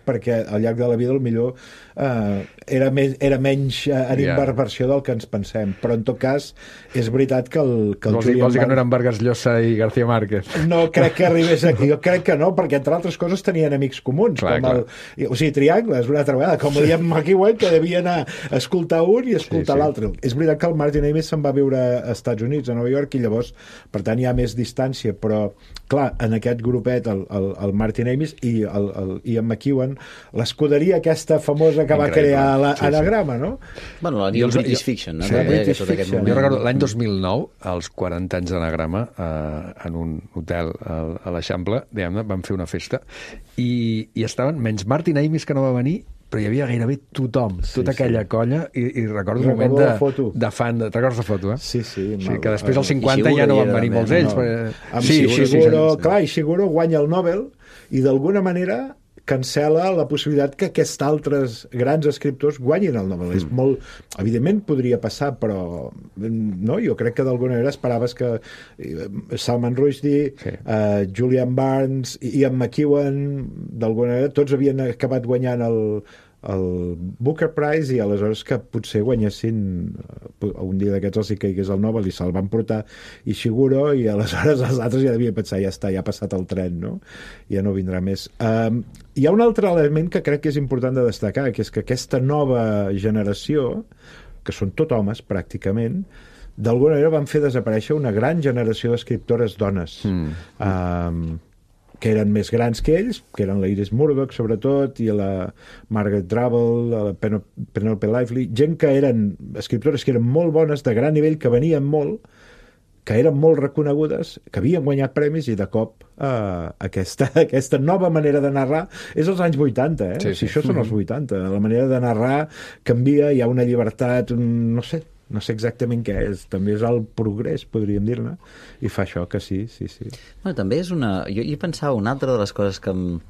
perquè al llarg de la vida millor era menys en inversió del que ens pensem, però en tot cas és veritat que el Julian Barnes... que no eren Vargas Llosa i García Márquez? No crec que arribés aquí, jo crec que no, perquè entre altres coses tenien amics comuns, o sigui, triangles, una altra vegada, com Liam McEwan, que devia anar a escoltar un i escoltar l'altre. És veritat que el Martin Amis se'n va viure a Estats Units, a Nova York, i llavors, per tant, hi ha més distància, però, clar, en aquest grupet, el Martin Amis i el Ian McEwan, l'escuderia aquesta famosa que va crear l'anagrama, no? Bueno, el British Fiction, no? Jo recordo l'any 2009, als 40 anys d'anagrama, en un hotel a l'Eixample, vam fer una festa, i estaven, menys Martin Amis, que no va venir, però hi havia gairebé tothom, tota aquella colla, i recordo un moment de fan, te'n recordes la foto, Sí, que després als 50 ja no van venir molts ells. Clar, i Shiguro guanya el Nobel i d'alguna manera cancela la possibilitat que aquests altres grans escriptors guanyin el Nobel. És molt... Evidentment podria passar, però no, jo crec que d'alguna manera esperaves que Salman Rushdie, Julian Barnes, Ian McEwan, d'alguna manera, tots havien acabat guanyant el Booker Prize, i aleshores que potser guanyessin un dia d'aquests els hi caigués el Nobel i se'l van portar Ishiguro, i aleshores els altres ja devien pensar, ja està, ja ha passat el tren, no? Ja no vindrà més. Hi ha un altre element que crec que és important de destacar, que és que aquesta nova generació, que són tot homes pràcticament, d'alguna manera van fer desaparèixer una gran generació d'escriptores dones. Que eren més grans que ells, que eren la Iris Murdoch, sobretot, i la Margaret Drabble, la Penelope Lively, gent que eren escriptores que eren molt bones, de gran nivell, que venien molt, que eren molt reconegudes, que havien guanyat premis, i de cop aquesta nova manera de narrar és als anys 80, Si això són els 80, la manera de narrar canvia, hi ha una llibertat, no sé exactament què és, també és el progrés, podríem dir-ne, i fa això que sí. Bueno, també és una... Jo pensava una altra de les coses que em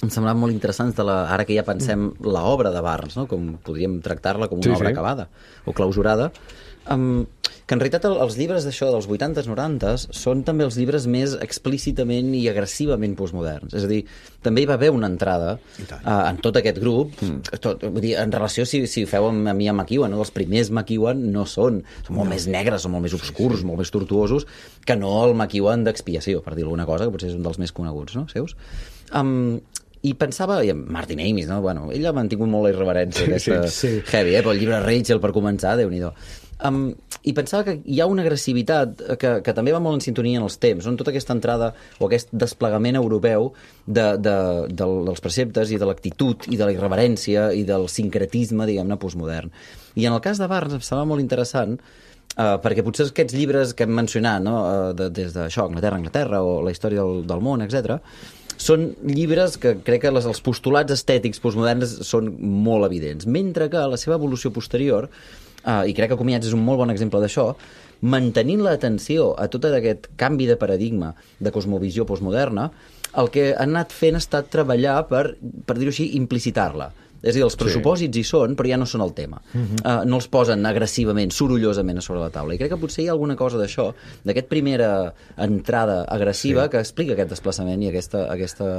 semblaven molt interessants ara que ja pensem l'obra de Barnes, no? Com podríem tractar-la com una obra acabada o clausurada, que en realitat els llibres d'això dels 80s, 90s són també els llibres més explícitament i agressivament postmoderns. És a dir, també hi va haver una entrada en tot aquest grup, vull dir, en relació, si ho feu amb mi amb McEwan, no? Els primers McEwan no són molt més negres, són molt més obscurs, molt més tortuosos, que no el McEwan d'Expiació, per dir alguna cosa, que potser és un dels més coneguts, no?, seus. I pensava, i Martin Amis, no? Bueno, ell ha mantingut molt la irreverència aquesta heavy, però el llibre Rachel, per començar, Déu-n'hi-do. I pensava que hi ha una agressivitat que també va molt en sintonia en els temps, on tota aquesta entrada o aquest desplegament europeu dels preceptes i de l'actitud i de la irreverència i del sincretisme, diguem-ne, postmodern. I en el cas de Barnes em sembla molt interessant perquè potser aquests llibres que hem mencionat, no? Des d'això, Anglaterra o la història del món, etc., són llibres que crec que els postulats estètics postmoderns són molt evidents, mentre que la seva evolució posterior, i crec que Comiats és un molt bon exemple d'això, mantenint l'atenció a tot aquest canvi de paradigma de cosmovisió postmoderna, el que han anat fent ha estat treballar per dir-ho així, implicitar-la. És a dir, els pressupòsits hi són, però ja no són el tema. No els posen agressivament, sorollosament a sobre la taula. I crec que potser hi ha alguna cosa d'això, d'aquesta primera entrada agressiva que explica aquest desplaçament i aquesta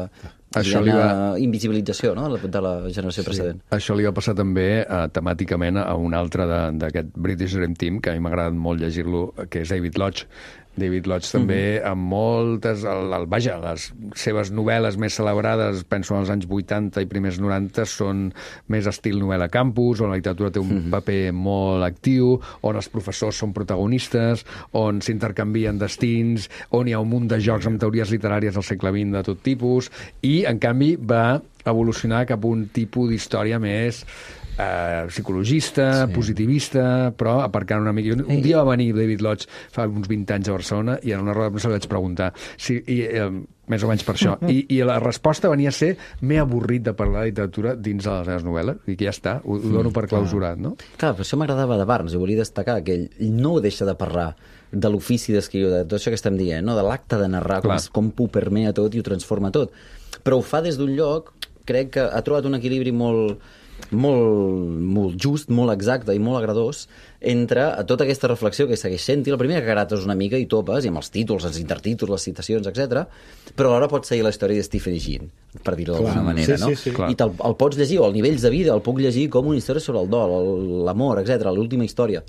invisibilització, no?, de la generació precedent. Això li va passar també temàticament a un altre d'aquest British Dream Team, que a mi m'ha agradat molt llegir-lo, que és David Lodge, David Lodge també, amb moltes... Vaja, les seves novel·les més celebrades, penso als anys 80 i primers 90, són més estil novel·la campus, on la literatura té un paper molt actiu, on els professors són protagonistes, on s'intercanvien destins, on hi ha un munt de jocs amb teories literàries del segle XX de tot tipus, i, en canvi, va evolucionar cap a un tipus d'història més psicologista, positivista, però aparcant una mica. Un dia va venir David Lodge fa uns 20 anys a Barcelona i en una roda de premsa li vaig preguntar més o menys per això. I la resposta venia a ser m'he avorrit de parlar de literatura dins de les meves novel·les. I que ja està, ho dono per clausurat, no? Clar, per això m'agradava de Barnes, i volia destacar que ell no deixa de parlar de l'ofici d'escriure, de tot això que estem dient, no? De l'acte de narrar, com ho permea tot i ho transforma tot. Però ho fa des d'un lloc, crec que ha trobat un equilibri molt just, molt exacte i molt agradós entre tota aquesta reflexió que segueix sent-hi. La primera que grates una mica i topes, i amb els títols, els intertítols, les citacions, etc. Però alhora pots seguir la història de Stephen King, per dir-ho d'alguna manera, no? Sí. I el pots llegir, o als nivells de vida, el puc llegir com una història sobre el dol, l'amor, etc. l'única història,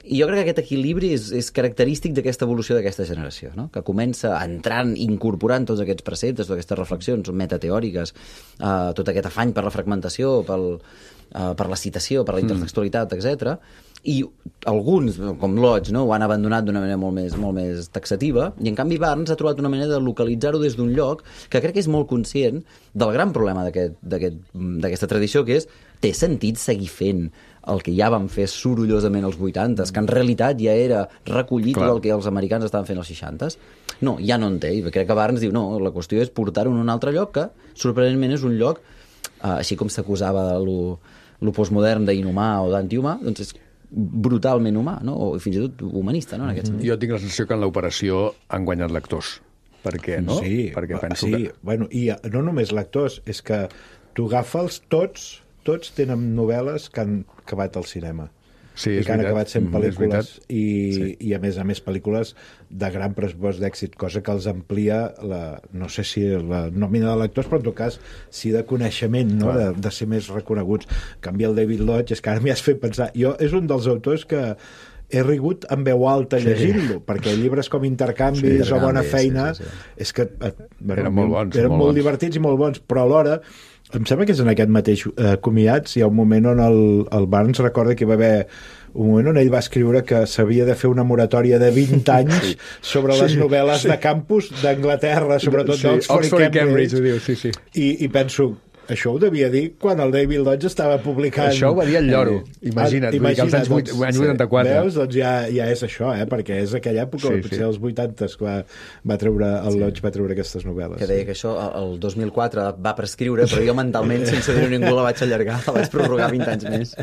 i jo crec que aquest equilibri és característic d'aquesta evolució d'aquesta generació, no? Que comença entrant, incorporant tots aquests preceptes, totes aquestes reflexions metateòriques, tot aquest afany per la fragmentació, per la citació, per la intertextualitat, etc. I alguns, com Lodge, no? Ho han abandonat d'una manera molt més taxativa, i en canvi Barnes ha trobat una manera de localitzar-ho des d'un lloc que crec que és molt conscient del gran problema d'aquesta tradició, que és té sentit seguir fent el que ja van fer sorollosament als 80s, que en realitat ja era recollit del que els americans estaven fent als 60s? No, ja no en té. I crec que Barnes diu, no, la qüestió és portar-ho en un altre lloc que, sorprenentment, és un lloc, així com s'acusava de lo postmodern d'inhumà o d'antihumà, doncs és brutalment humà, no? O fins i tot humanista, no? En aquest sentit. Jo tinc la sensació que en l'operació han guanyat lectors. Per què, no? Sí, perquè penso que... Bueno, i no només lectors, és que tu agafa'ls tots tenen novel·les que han acabat al cinema. Sí, i que han acabat sent pel·lícules i a més pel·lícules de gran pressupost d'èxit, cosa que els amplia no sé si la nòmina de lectors, però en tot cas sí de coneixement, no? De ser més reconeguts. En canvi el David Lodge, és que ara m'hi has fet pensar, és un dels autors que he rigut en veu alta llegint-lo, perquè llibres com Intercanvis o Bona Feina és que eren molt bons, eren molt divertits i molt bons, però alhora em sembla que és en aquest mateix Comiats hi ha un moment on el Barnes recorda que hi va haver un moment on ell va escriure que s'havia de fer una moratòria de 20 anys sobre les novel·les de campus d'Anglaterra, sobretot d'Oxford i Cambridge. I penso, això ho devia dir quan el David Lodge estava publicant... Això ho va dir el lloro, imagina't, als anys 84. Veus? Doncs ja és això, perquè és aquella època, potser als 80s, que el Lodge va treure aquestes novel·les. Que deia que això el 2004 va prescriure, però jo mentalment, sense dir-ho ningú, la vaig allargar, la vaig prorrogar 20 anys més.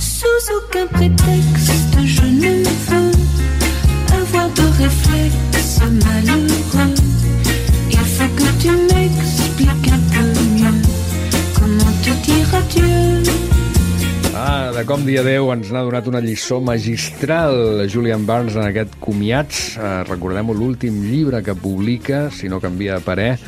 Sous aucun prétexte, je ne veux avoir de réflexe malheureux. Il faut que tu m'expliques un peu mieux comment te dire adieu. De com dir adeu ens n'ha donat una lliçó magistral Julian Barnes en aquest Comiats. Recordem-ho, l'últim llibre que publica, si no canvia de parer,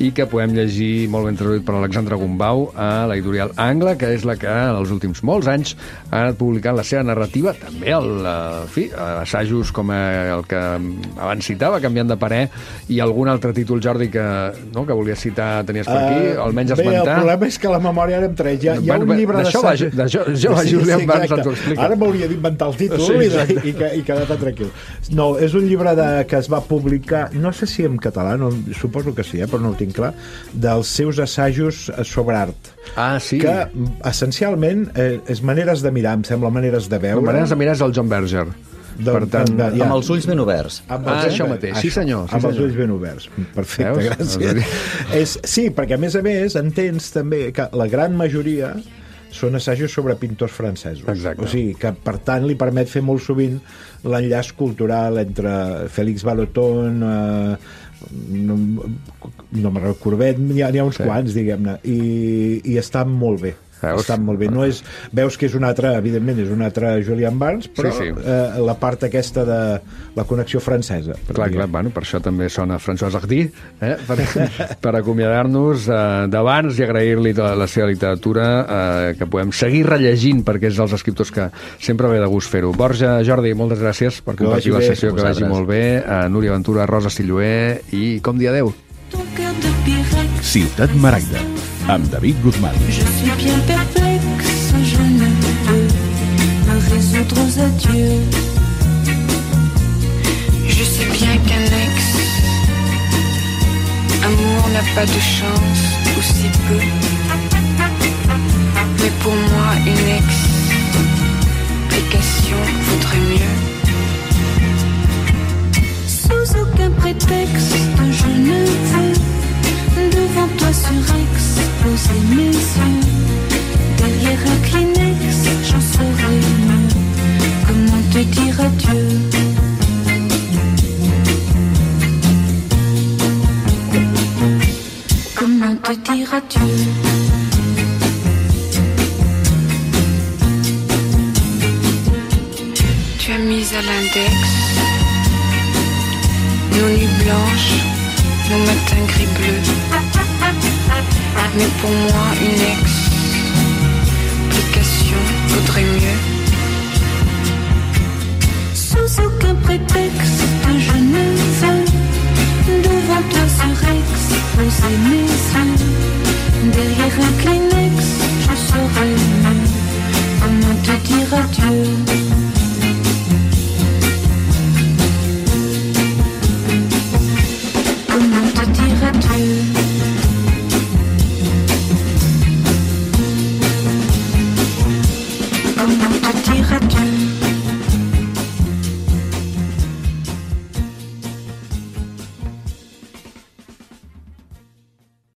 i que podem llegir molt ben traduït per Alexandre Gombau a l'editorial Angle, que és la que en els últims molts anys ha anat publicant la seva narrativa, també assajos com el que abans citava, Canviant de parer, i algun altre títol, Jordi, que volies citar, tenies per aquí, almenys esmentar. Bé, el problema és que la memòria ara em treix. Hi ha un llibre d'assajos... Julian Barnes ens ho explica. Ara m'hauria d'inventar el títol i quedar tan tranquil. No, és un llibre que es va publicar, no sé si en català, suposo que sí, però no ho tinc clar, dels seus assajos sobre art. Sí. Que essencialment és maneres de mirar, em sembla, maneres de veure. Maneres de mirar és el John Berger. Per tant, amb els ulls ben oberts. Això mateix, sí senyor. Amb els ulls ben oberts. Perfecte, gràcies. Sí, perquè a més entens també que la gran majoria són assajos sobre pintors francesos. Exacte. O sigui, que per tant li permet fer molt sovint l'enllaç cultural entre Félix Vallotton, no me'n recordo, Courbet, n'hi ha uns quants, diguem-ne, i està molt bé. estan molt bé. No és, veus que és un altre, evidentment, és un altre Julian Barnes, però Sí. la part aquesta de la connexió francesa. Clar, bueno, per això també sona François Hardy, per acomiadar-nos d'abans i agrair-li tota la seva literatura, que podem seguir rellegint, perquè és dels escriptors que sempre ve de gust fer-ho. Borja, Jordi, moltes gràcies per compartir la sessió, que vagi molt bé. Núria Ventura, Rosa Stilloé, i com dir adeu? Ciutat Maragda, amb David Guzmán. Je suis bien perplexe, je ne peux me résoudre aux adieux. Je sais bien qu'un ex-amour n'a pas de chance, ou si peu. Mais pour moi, une explication vaudrait mieux. Sous aucun prétexte, je ne veux devant toi surexposer mes yeux. Derrière un Kleenex, j'en saurai mieux. Comment te dire adieu? Comment te dire adieu? Tu as mis à l'index nos nuits blanches, nos matins gris-bleus. Mais pour moi, une explication vaudrait mieux. Sous aucun prétexte, je ne veux devant toi surexposer mes yeux. Derrière un Kleenex, je saurai mieux comment te dire adieu.